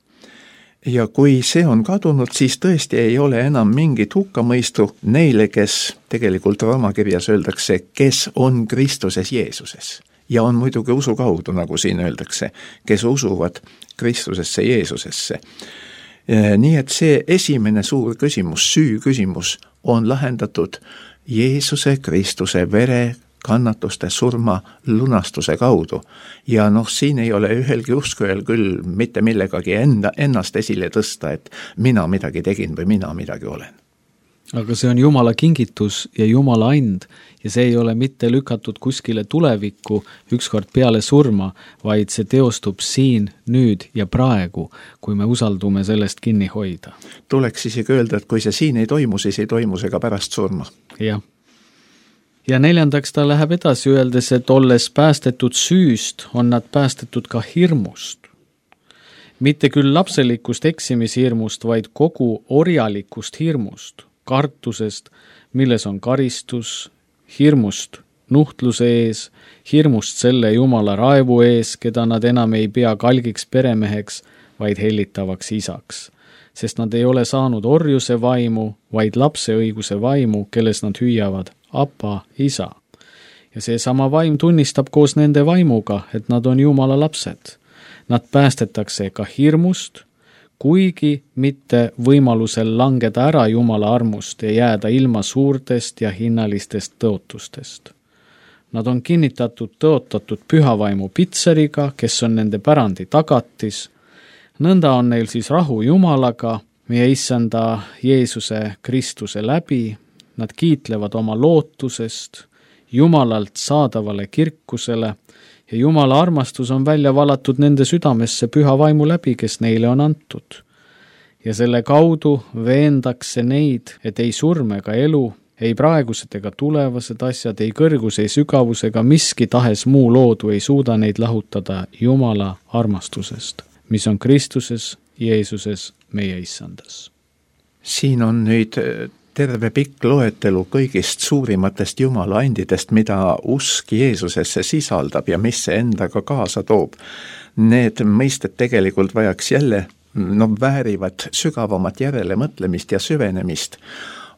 Ja kui see on kadunud, siis tõesti ei ole enam mingit hukkamõistu neile, kes tegelikult raamakirjas öeldakse, kes on Kristuses Jeesuses. Ja on muidugi usu kaudu, nagu siin öeldakse, kes usuvad Kristusesse Jeesusesse. Nii et see esimene suur küsimus, süü küsimus on lahendatud Jeesuse Kristuse vere kannatuste surma lunastuse kaudu. Ja siin ei ole ühelgi uskujal küll mitte millegagi ennast esile tõsta, et mina midagi tegin või mina midagi olen. Aga see on Jumala kingitus ja Jumala and ja see ei ole mitte lükatud kuskile tulevikku ükskord peale surma, vaid see teostub siin, nüüd ja praegu, kui me usaldume sellest kinni hoida. Tuleks isegi öelda, et kui see siin ei toimu, siis ei toimu see ka pärast surma. Jah. Ja 4. ta läheb edasi öeldes, et olles päästetud süüst, on nad päästetud ka hirmust. Mitte küll lapselikust eksimishirmust, vaid kogu orjalikust hirmust, kartusest, milles on karistus, hirmust nuhtluse ees, hirmust selle Jumala raevu ees, keda nad enam ei pea kalgiks peremeheks, vaid hellitavaks isaks. Sest nad ei ole saanud orjuse vaimu, vaid lapse õiguse vaimu, kelles nad hüüavad Apa, isa. Ja see sama vaim tunnistab koos nende vaimuga, et nad on Jumala lapsed. Nad päästetakse ka hirmust, kuigi mitte võimalusel langeda ära Jumala armust ja jääda ilma suurtest ja hinnalistest tõotustest. Nad on kinnitatud tõotatud pühavaimu pitseriga, kes on nende pärandi tagatis. Nõnda on neil siis rahu Jumalaga, meie issanda Jeesuse Kristuse läbi. Nad kiitlevad oma lootusest, Jumalalt saadavale kirkusele ja Jumala armastus on välja valatud nende südamesse püha vaimu läbi, kes neile on antud. Ja selle kaudu veendakse neid, et ei surm ega elu, ei praegused ega tulevased asjad, ei kõrgus, ei sügavus ega miski tahes muu loodu ei suuda neid lahutada Jumala armastusest, mis on Kristuses, Jeesuses, meie issandas. Siin on nüüd terve pikk loetelu kõigist suurimatest Jumala andidest, mida usk Jeesusesse sisaldab ja mis see endaga kaasa toob. Need mõisted tegelikult vajaks jälle, väärivad sügavamat järelemõtlemist ja süvenemist,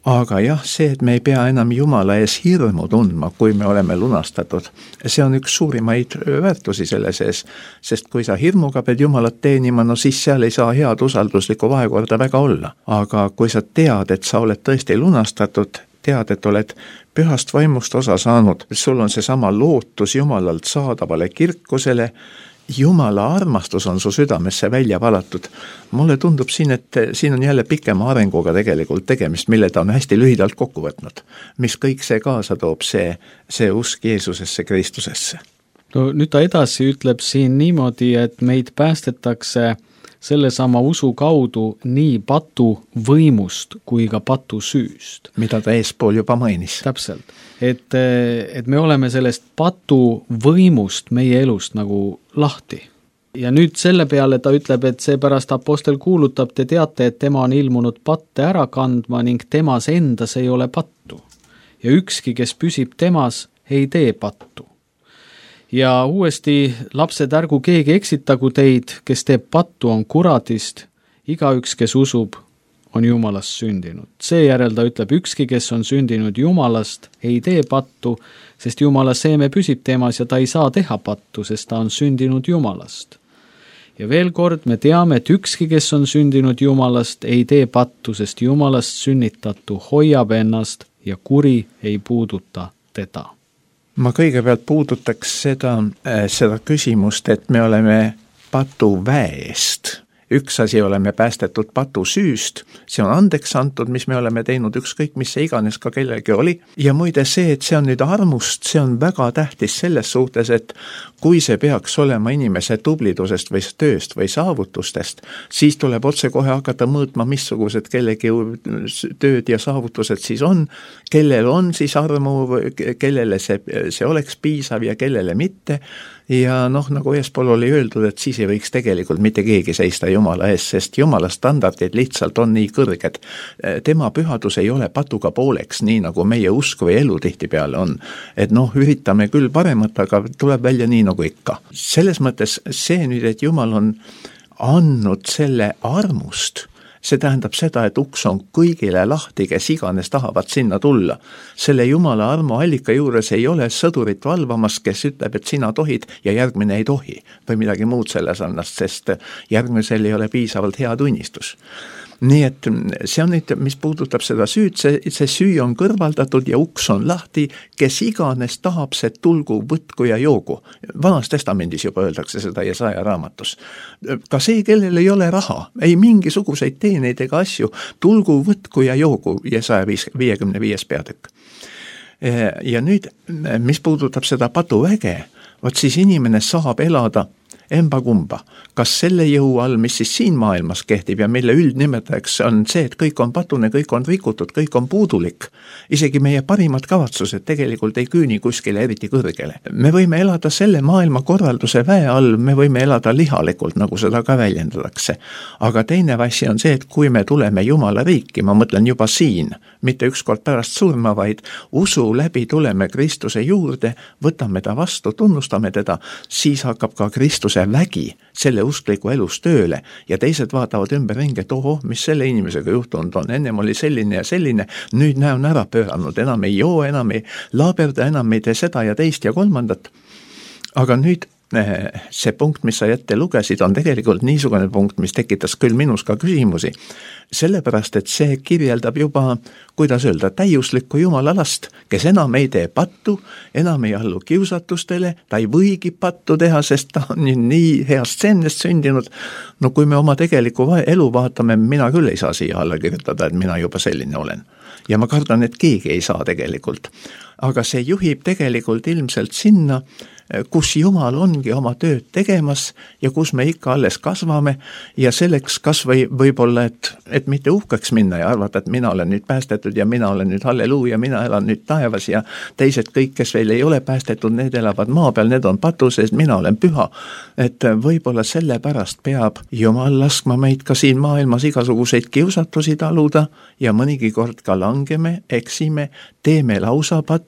aga jah, see, et me ei pea enam Jumala ees hirmu tundma, kui me oleme lunastatud, see on üks suurimaid väärtusi selle sees, sest kui sa hirmuga pead Jumalat teenima, no siis seal ei saa head usalduslikku vahekorda väga olla. Aga kui sa tead, et sa oled tõesti lunastatud, tead, et oled pühast vaimust osa saanud, sul on seesama lootus Jumalalt saadavale kirkusele, Jumala armastus on su südamesse välja valatud. Mulle tundub siin, et siin on jälle pikema arenguga tegelikult tegemist, mille ta on hästi lühidalt kokku võtnud. Mis kõik see kaasa toob, see usk Jeesusesse, Kristusesse. No nüüd ta edasi ütleb siin niimoodi, et meid päästetakse sellesama usu kaudu nii patu võimust kui ka patu süüst. Mida ta eespool juba mainis. Täpselt. Et me oleme sellest patu võimust meie elust nagu lahti. Ja nüüd selle peale ta ütleb, et seepärast apostel kuulutab, te teate, et tema on ilmunud patte ära kandma ning temas endas ei ole pattu. Ja ükski, kes püsib temas, ei tee pattu. Ja uuesti, lapsed, ärgu keegi eksitagu teid, kes teeb pattu, on kuradist, igaüks, kes usub, on Jumalast sündinud. Seejärel ta ütleb, ükski, kes on sündinud Jumalast, ei tee pattu, sest Jumala seeme püsib temas ja ta ei saa teha pattu, sest ta on sündinud Jumalast. Ja veel kord me teame, et ükski, kes on sündinud Jumalast, ei tee pattu, sest Jumalast sünnitatu hoiab ennast ja kuri ei puuduta teda. Ma kõigepealt puudutaks seda küsimust, et me oleme patu väest. Üks asi oleme päästetud patu süüst, see on andeks antud, mis me oleme teinud, ükskõik mis see iganes ka kellelgi oli. Ja muide see, et see on nüüd armust, see on väga tähtis selles suhtes, et kui see peaks olema inimese tublidusest või tööst või saavutustest, siis tuleb otse kohe hakata mõõtma, missugused kellegi tööd ja saavutused siis on, kellel on siis armu, kellele see oleks piisav ja kellele mitte. Ja nagu eespool oli öeldud, et siis ei võiks tegelikult mitte keegi seista Jumala ees, sest Jumala standardid lihtsalt on nii kõrged. Tema pühadus ei ole patuga pooleks, nii nagu meie usk või elu tihtipeale on. Et üritame küll paremat, aga tuleb välja nii nagu ikka. Selles mõttes see nüüd, et Jumal on andnud selle armust, see tähendab seda, et uks on kõigile lahti, kes iganes tahavad sinna tulla. Selle Jumala armu allika juures ei ole sõdurit valvamas, kes ütleb, et sina tohid ja järgmine ei tohi või midagi muud selle sarnast, sest järgmisel ei ole piisavalt hea tunnistus. Nii et see on nüüd, mis puudutab seda süüd, see süü on kõrvaldatud ja uks on lahti, kes iganes tahab, see tulgu, võtku ja joogu. Vanas testamendis juba öeldakse seda Jesaja raamatus. Ka see, kellel ei ole raha, ei mingisuguseid teeneid ega asju, tulgu, võtku ja joogu, Jesaja 55. peatükk. Ja nüüd, mis puudutab seda patuväge, vot siis inimene saab elada emba kumba. Kas selle jõu all, mis siis siin maailmas kehtib ja mille üldnimetajaks on see, et kõik on patune, kõik on rikutud, kõik on puudulik. Isegi meie parimad kavatsused tegelikult ei küüni kuskile eriti kõrgele. Me võime elada selle maailma korralduse väe all, me võime elada lihalikult, nagu seda ka väljendatakse. Aga teine asi on see, et kui me tuleme Jumala riiki, ma mõtlen juba siin, mitte ükskord pärast surma, vaid usu läbi tuleme Kristuse juurde, võtame ta vastu, tunnustame teda, siis hakkab ka Kristuse vägi selle uskliku elus tööle ja teised vaatavad ümberringi, et oho, mis selle inimesega juhtunud on, ennem oli selline ja selline, nüüd näon ära pööranud, enam ei joo, enam ei laaberda, enam ei tee seda ja teist ja kolmandat. Aga nüüd see punkt, mis sa ette lugesid, on tegelikult niisugune punkt, mis tekitas küll minus ka küsimusi, sellepärast, et see kirjeldab juba, kuidas öelda, täiuslikku Jumala last, kes enam ei tee pattu, enam ei allu kiusatustele, ta ei võigi pattu teha, sest ta on nii heast seemnest sündinud. No kui me oma tegeliku elu vaatame, mina küll ei saa siia alla kirjutada, et mina juba selline olen. Ja ma kardan, et keegi ei saa tegelikult. Aga see juhib tegelikult ilmselt sinna, kus Jumal ongi oma tööd tegemas ja kus me ikka alles kasvame ja selleks kas võib-olla, et mitte uhkeks minna ja arvata, et mina olen nüüd päästetud ja mina olen nüüd halleluuja, mina elan nüüd taevas ja teised kõik, kes veel ei ole päästetud, need elavad maa peal, need on patuses, mina olen püha. Et võib-olla sellepärast peab Jumal laskma meid ka siin maailmas igasuguseid kiusatusi taluda ja mõnigi kord ka langeme, eksime, teeme lausa pattu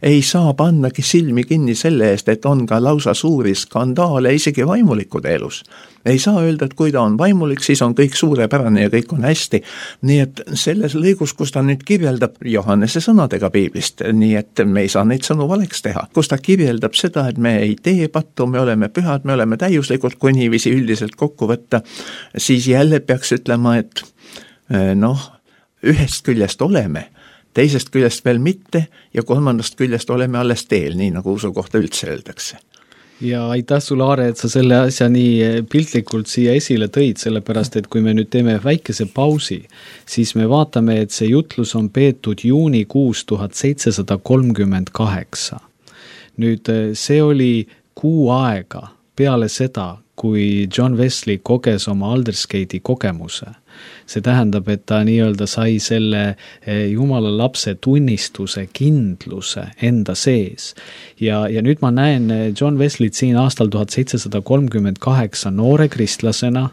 ei saa pannagi silmi kinni selle eest, et on ka lausa suuri skandaale isegi vaimulikude elus. Ei saa öelda, et kui ta on vaimulik, siis on kõik suurepärane ja kõik on hästi. Nii et selles lõigus, kus ta nüüd kirjeldab Johannese sõnadega piiblist, nii et me ei saa neid sõnu valeks teha, kus ta kirjeldab seda, et me ei tee pattu, me oleme pühad, me oleme täiuslikud, kui niiviisi üldiselt kokku võtta, siis jälle peaks ütlema, et ühest küljest oleme, teisest küljest veel mitte ja kolmandast küljest oleme alles teel, nii nagu usu kohta üldse öeldakse. Ja aitäh sulle, Aare, et sa selle asja nii piltlikult siia esile tõid, sellepärast, et kui me nüüd teeme väikese pausi, siis me vaatame, et see jutlus on peetud juunikuus 1738. Nüüd see oli kuu aega peale seda, kui John Wesley koges oma Aldersgate'i kogemuse. See tähendab, et ta nii-öelda sai selle Jumala lapse tunnistuse, kindluse enda sees. Ja nüüd ma näen John Wesley't siin aastal 1738 noore kristlasena,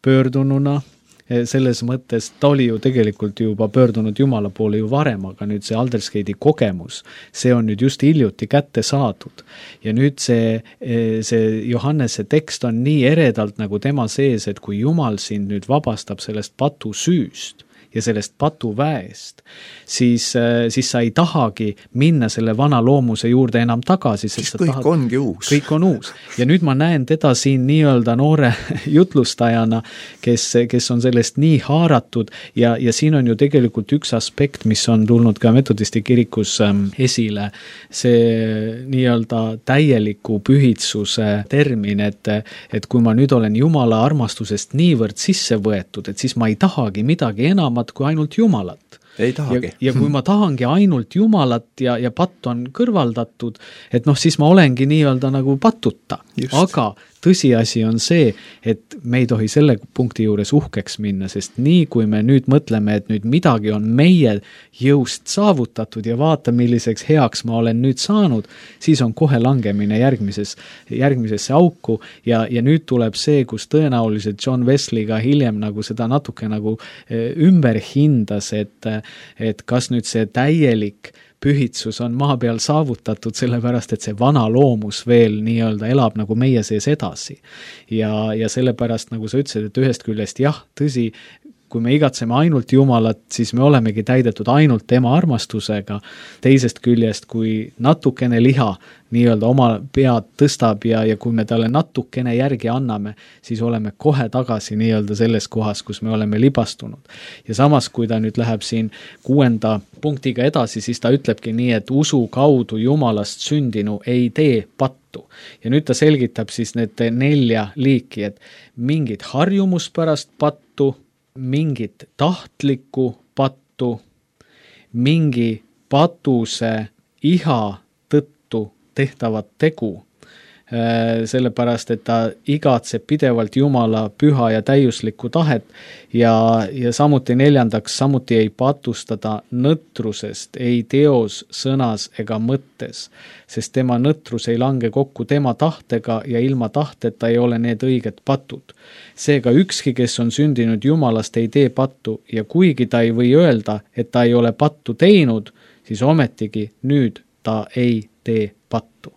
pöördununa, selles mõttes ta oli ju tegelikult juba pöördunud Jumala poole ju varem, aga nüüd see Aldersgate'i kogemus, see on nüüd just hiljuti kätte saadud. Ja nüüd see Johannese tekst on nii eredalt nagu tema sees, et kui Jumal sind nüüd vabastab sellest patu süüst ja sellest patuväest, siis sa ei tahagi minna selle vana loomuse juurde enam tagasi. Siis kõik ongi uus. Kõik on uus. Ja nüüd ma näen teda siin nii-öelda noore jutlustajana, kes on sellest nii haaratud ja siin on ju tegelikult üks aspekt, mis on tulnud ka metodisti kirikus esile, see nii-öelda täieliku pühitsuse termin, et kui ma nüüd olen Jumala armastusest niivõrd sisse võetud, et siis ma ei tahagi midagi enamat kui ainult Jumalat. Ei tahagi. Ja kui ma tahangi ainult Jumalat ja patt on kõrvaldatud, et siis ma olengi nii-öelda nagu patuta. Just. Aga tõsiasi on see, et me ei tohi selle punkti juures uhkeks minna, sest nii kui me nüüd mõtleme, et nüüd midagi on meie jõust saavutatud ja vaata, milliseks heaks ma olen nüüd saanud, siis on kohe langemine järgmisesse auku ja nüüd tuleb see, kus tõenäoliselt John Wesley ka hiljem nagu seda natuke nagu ümber hindas, et kas nüüd see täielik pühitsus on maa peal saavutatud, sellepärast, et see vana loomus veel nii-öelda elab nagu meie sees edasi. Ja sellepärast, nagu sa ütlesid, et ühest küljest jah, tõsi, kui me igatseme ainult Jumalat, siis me olemegi täidetud ainult tema armastusega. Teisest küljest, kui natukene liha nii-öelda oma pead tõstab ja kui me talle natukene järgi anname, siis oleme kohe tagasi nii-öelda selles kohas, kus me oleme libastunud. Ja samas, kui ta nüüd läheb siin 6. punktiga edasi, siis ta ütlebki nii, et usu kaudu Jumalast sündinu ei tee pattu. Ja nüüd ta selgitab siis need 4 liiki, et mingit harjumuspärast pattu, mingit tahtlikku pattu, mingi patuse iha tõttu tehtavat tegu, sellepärast, et ta igatseb pidevalt Jumala püha ja täiuslikku tahet ja samuti 4. samuti ei patustada nõtrusest, ei teos, sõnas ega mõttes, sest tema nõtrus ei lange kokku tema tahtega ja ilma tahteta ei ole need õiged patud. Seega ükski, kes on sündinud Jumalast, ei tee pattu ja kuigi ta ei või öelda, et ta ei ole pattu teinud, siis ometigi nüüd ta ei tee pattu.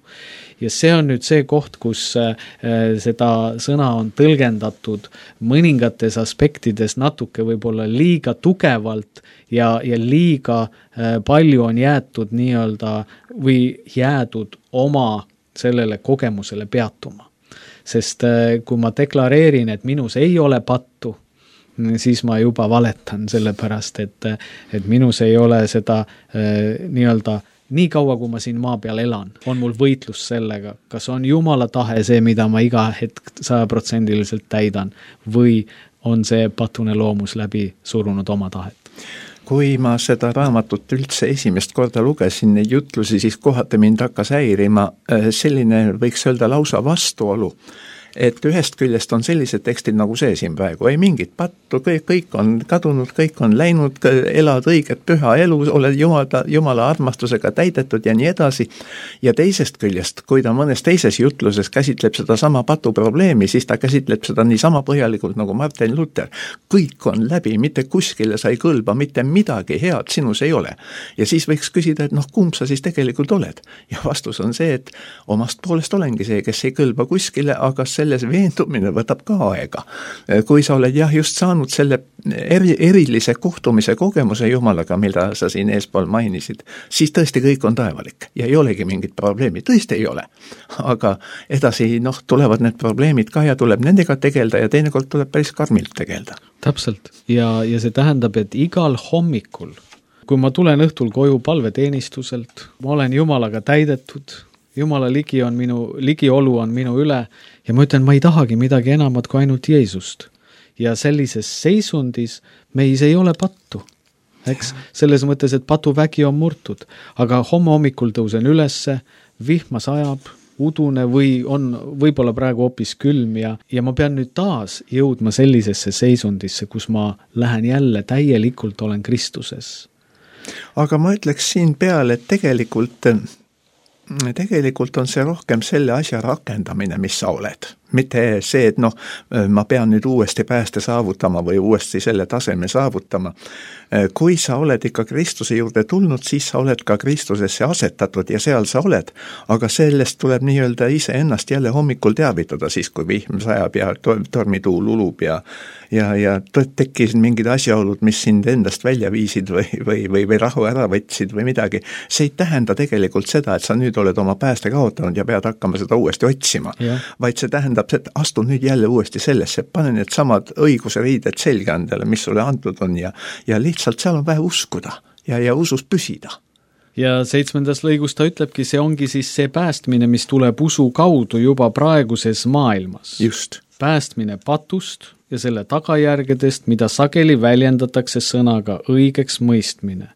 Ja see on nüüd see koht, kus seda sõna on tõlgendatud mõningates aspektides natuke võib-olla liiga tugevalt ja liiga palju on jäetud nii-öelda või jäädud oma sellele kogemusele peatuma. Sest kui ma deklareerin, et minus ei ole pattu, siis ma juba valetan sellepärast, et minus ei ole seda nii-öelda nii kaua, kui ma siin maa peal elan, on mul võitlus sellega, kas on Jumala tahe see, mida ma iga hetk 100% täidan või on see patune loomus läbi surunud oma tahet. Kui ma seda raamatut üldse esimest korda lugesin, neid jutlusi, siis kohati mind hakkas häirima selline, võiks öelda lausa vastuolu, et ühest küljest on sellised tekstid nagu see siin praegu, ei mingit pattu, kõik on kadunud, kõik on läinud, elad õiget püha elu, oled Jumala armastusega täidetud ja nii edasi. Ja teisest küljest, kui ta mõnes teises jutluses käsitleb seda sama patu probleemi, siis ta käsitleb seda nii sama põhjalikult nagu Martin Luther. Kõik on läbi, mitte kuskile sa ei kõlba, mitte midagi head sinus ei ole. Ja siis võiks küsida, et kumb sa siis tegelikult oled? Ja vastus on see, et omast poolest olengi see, kes ei kõlba kuskile, aga selles veendumine võtab ka aega. Kui sa oled just saanud selle erilise kohtumise kogemuse Jumalaga, mida sa siin eespool mainisid, siis tõesti kõik on taevalik ja ei olegi mingit probleemi, tõesti ei ole. Aga edasi tulevad need probleemid ka ja tuleb nendega tegelda ja teinekord tuleb päris karmilt tegelda. Täpselt ja see tähendab, et igal hommikul, kui ma tulen õhtul koju palveteenistuselt, ma olen Jumalaga täidetud, Jumala ligiolu on minu üle ja ma ütlen, ma ei tahagi midagi enamat kui ainult Jeesust. Ja sellises seisundis meis ei ole pattu. Eks? Selles mõttes, et patuvägi on murtud, aga hommikul tõusen ülesse, vihma sajab, udune või on võib-olla praegu hoopis külm ja ma pean nüüd taas jõudma sellisesse seisundisse, kus ma lähen jälle täielikult olen Kristuses. Aga ma ütleks siin peale, et tegelikult on see rohkem selle asja rakendamine, mis sa oled. Mitte see, et ma pean nüüd uuesti pääste saavutama või uuesti selle taseme saavutama. Kui sa oled ikka Kristuse juurde tulnud, siis sa oled ka Kristusesse asetatud ja seal sa oled, aga sellest tuleb nii-öelda ise ennast jälle hommikul teavitada siis, kui vihm sajab ja tormituul ulub ja tekkisid mingid asjaolud, mis sind endast välja viisid või rahu ära võtsid või midagi. See ei tähenda tegelikult seda, et sa nüüd oled oma pääste kaotanud ja pead hakkama seda uuesti otsima, vaid see tähendab, et astu nüüd jälle uuesti sellesse, pane need samad õiguse riided selga endale, mis sulle antud on ja lihtsalt seal on vähe uskuda ja usus püsida. Ja 7. lõigus ta ütlebki, see ongi siis see päästmine, mis tuleb usu kaudu juba praeguses maailmas. Just. Päästmine patust ja selle tagajärgedest, mida sageli väljendatakse sõnaga õigeks mõistmine,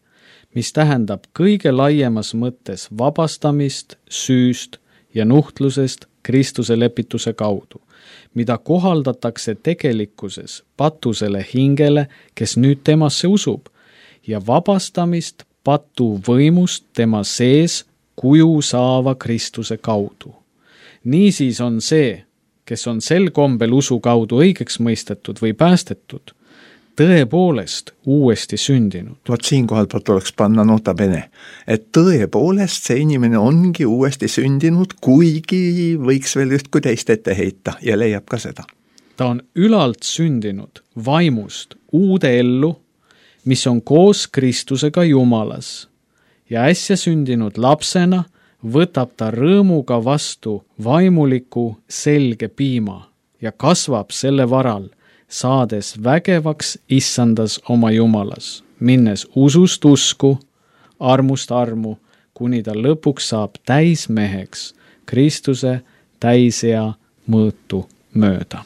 mis tähendab kõige laiemas mõttes vabastamist, süüst ja nuhtlusest Kristuse lepituse kaudu, mida kohaldatakse tegelikkuses patusele hingele, kes nüüd temasse usub, ja vabastamist patu võimust tema sees kuju saava Kristuse kaudu. Niisiis on see, kes on sel kombel usu kaudu õigeks mõistetud või päästetud, tõepoolest uuesti sündinud. Vot siinkohal tuleks panna nota bene, et tõepoolest see inimene ongi uuesti sündinud, kuigi võiks veel üht kui teist ette heita ja leiab ka seda. Ta on ülalt sündinud vaimust uude ellu, mis on koos Kristusega Jumalas ja äsja sündinud lapsena võtab ta rõõmuga vastu vaimuliku selge piima ja kasvab selle varal, saades vägevaks issandas oma Jumalas, minnes usust usku, armust armu, kuni ta lõpuks saab täismeheks Kristuse täisea mõõtu mööda.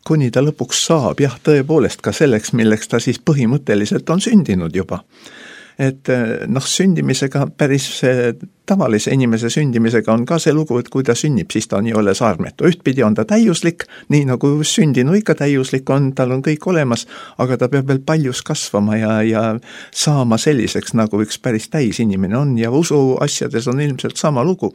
Kuni ta lõpuks saab, tõepoolest ka selleks, milleks ta siis põhimõtteliselt on sündinud juba. Et sündimisega päris tavalise inimese sündimisega on ka see lugu, et kui ta sünnib, siis ta on nii-öelda saarmetu. Ühtpidi on ta täiuslik, nii nagu sündinu ikka täiuslik on, tal on kõik olemas, aga ta peab veel paljus kasvama ja saama selliseks, nagu üks päris täis inimene on ja usu asjades on ilmselt sama lugu.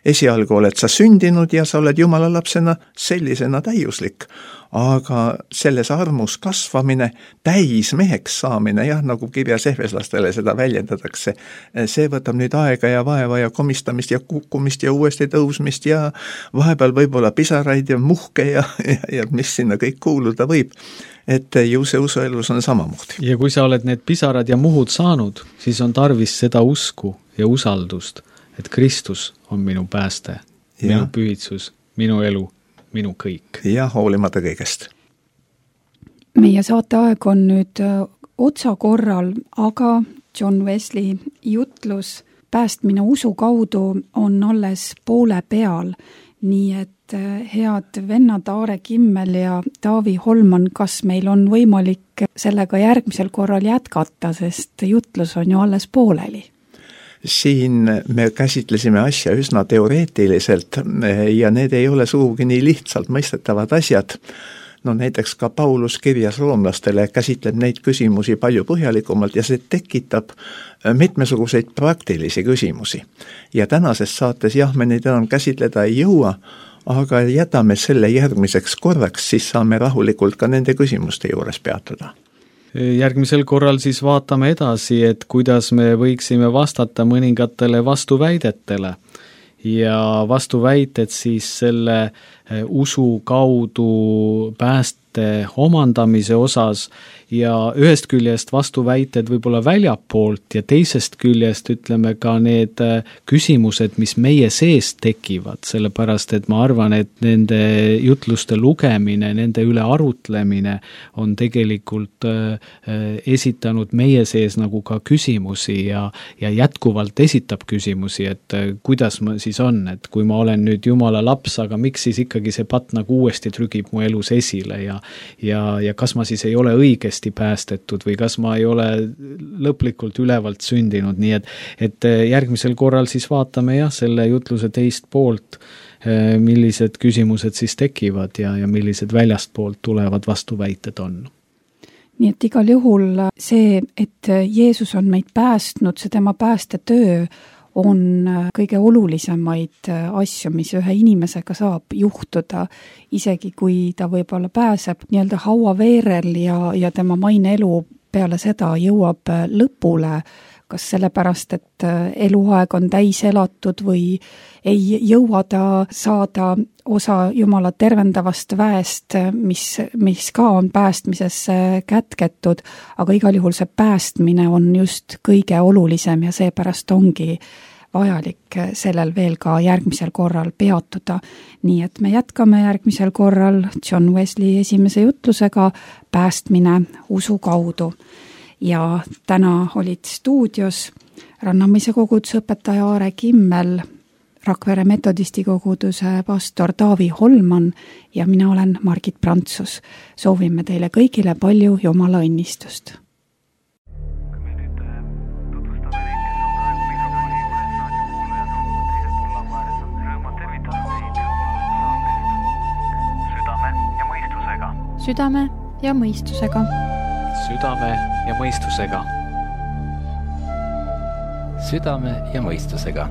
Esialgu oled sa sündinud ja sa oled Jumala lapsena sellisena täiuslik. Aga selles armus kasvamine, täismeheks saamine, nagu kirjas Efeslastele seda väljendatakse, see võtab nüüd aega ja vaeva ja komistamist ja kukkumist ja uuesti tõusmist ja vahepeal võib-olla pisaraid ja muhke ja mis sinna kõik kuuluda võib. Et ju see usuelus on samamoodi. Ja kui sa oled need pisarad ja muhud saanud, siis on tarvis seda usku ja usaldust, et Kristus on minu pääste, minu pühitsus, minu elu, minu kõik. Ja hoolimata kõigest. Meie saateaeg on nüüd otsakorral, aga John Wesley jutlus päästmine usu kaudu on alles poole peal, nii et head vennad Aare Kimmel ja Taavi Holman, kas meil on võimalik sellega järgmisel korral jätkata, sest jutlus on ju alles pooleli? siin me käsitlesime asja üsna teoreetiliselt ja need ei ole sugugi nii lihtsalt mõistetavad asjad. No näiteks ka Paulus kirjas roomlastele käsitleb neid küsimusi palju põhjalikumalt ja see tekitab mitmesuguseid praktilisi küsimusi. Ja tänases saates jah, me neid enam käsitleda ei jõua, aga jätame selle järgmiseks korraks, siis saame rahulikult ka nende küsimuste juures peatuda. Järgmisel korral siis vaatame edasi, et kuidas me võiksime vastata mõningatele vastuväidetele ja vastuväited siis selle usu kaudu pääste omandamise osas ja ühest küljest vastuväited võib-olla väljapoolt ja teisest küljest ütleme ka need küsimused, mis meie sees tekivad, sellepärast et ma arvan, et nende jutluste lugemine, nende üle arutlemine on tegelikult esitanud meie sees nagu ka küsimusi ja jätkuvalt esitab küsimusi, et kuidas ma siis on, et kui ma olen nüüd Jumala laps, aga miks siis ikkagi see patt nagu uuesti trügib mu elus esile ja kas ma siis ei ole õigesti päästetud või kas ma ei ole lõplikult ülevalt sündinud, nii et järgmisel korral siis vaatame selle jutluse teist poolt, millised küsimused siis tekivad ja millised väljastpoolt tulevad vastuväited on. Nii et igal juhul see, et Jeesus on meid päästnud, see tema päästetöö on kõige olulisemaid asju, mis ühe inimesega saab juhtuda, isegi kui ta võib-olla pääseb nii-öelda hauaveerel ja tema maine elu peale seda jõuab lõpule, kas sellepärast, et eluaeg on täis elatud või ei jõua ta saada osa Jumala tervendavast väest, mis ka on päästmisesse kätketud, aga igal juhul see päästmine on just kõige olulisem ja seepärast ongi vajalik sellel veel ka järgmisel korral peatuda. Nii et me jätkame järgmisel korral John Wesley esimese jutlusega Päästmine usu kaudu. Ja täna olid stuudios Rannamäe koguduse õpetaja Aare Kimmel, Rakvere metodisti koguduse pastor Taavi Holman ja mina olen Margit Prantsus. Soovime teile kõigile palju Jumala õnnistust. Südame ja mõistusega. Südame ja mõistusega. Südame ja mõistusega.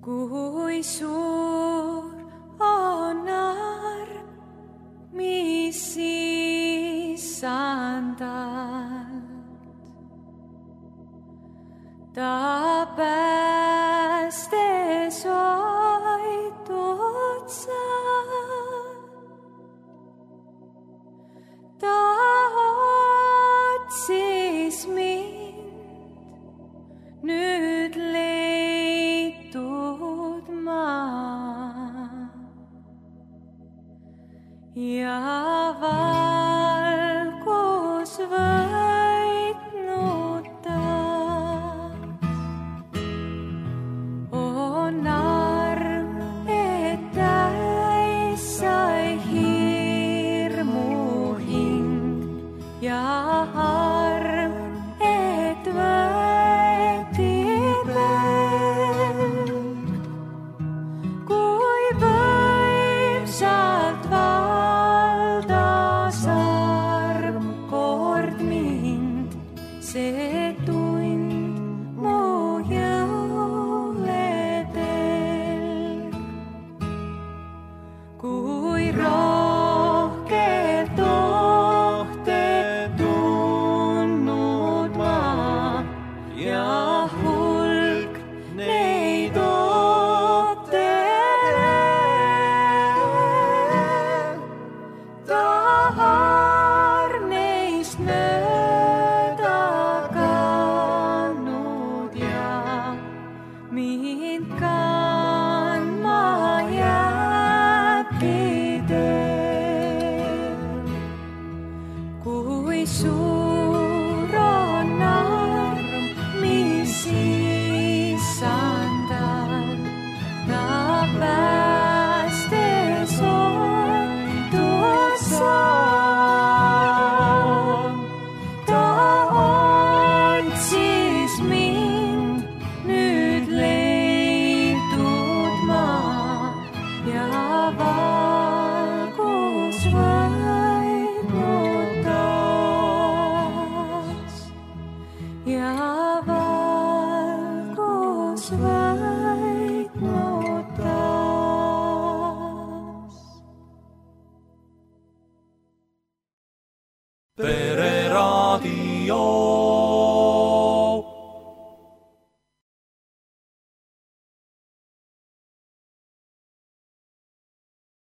Kui suur on arm, mis issandalt, ta päästes vaid otsa. Ta otsis mind, nüüd leitud ma. Ja valgus võitnud ta on arm, et täis sai hirmu hing ja arm, et võeti veel, kui võimsalt see tund mu jõule telg. Kui rohkelt ohte tundnud ma ja hulk neid ootel, tahar neist mööda ka. Pereraadio.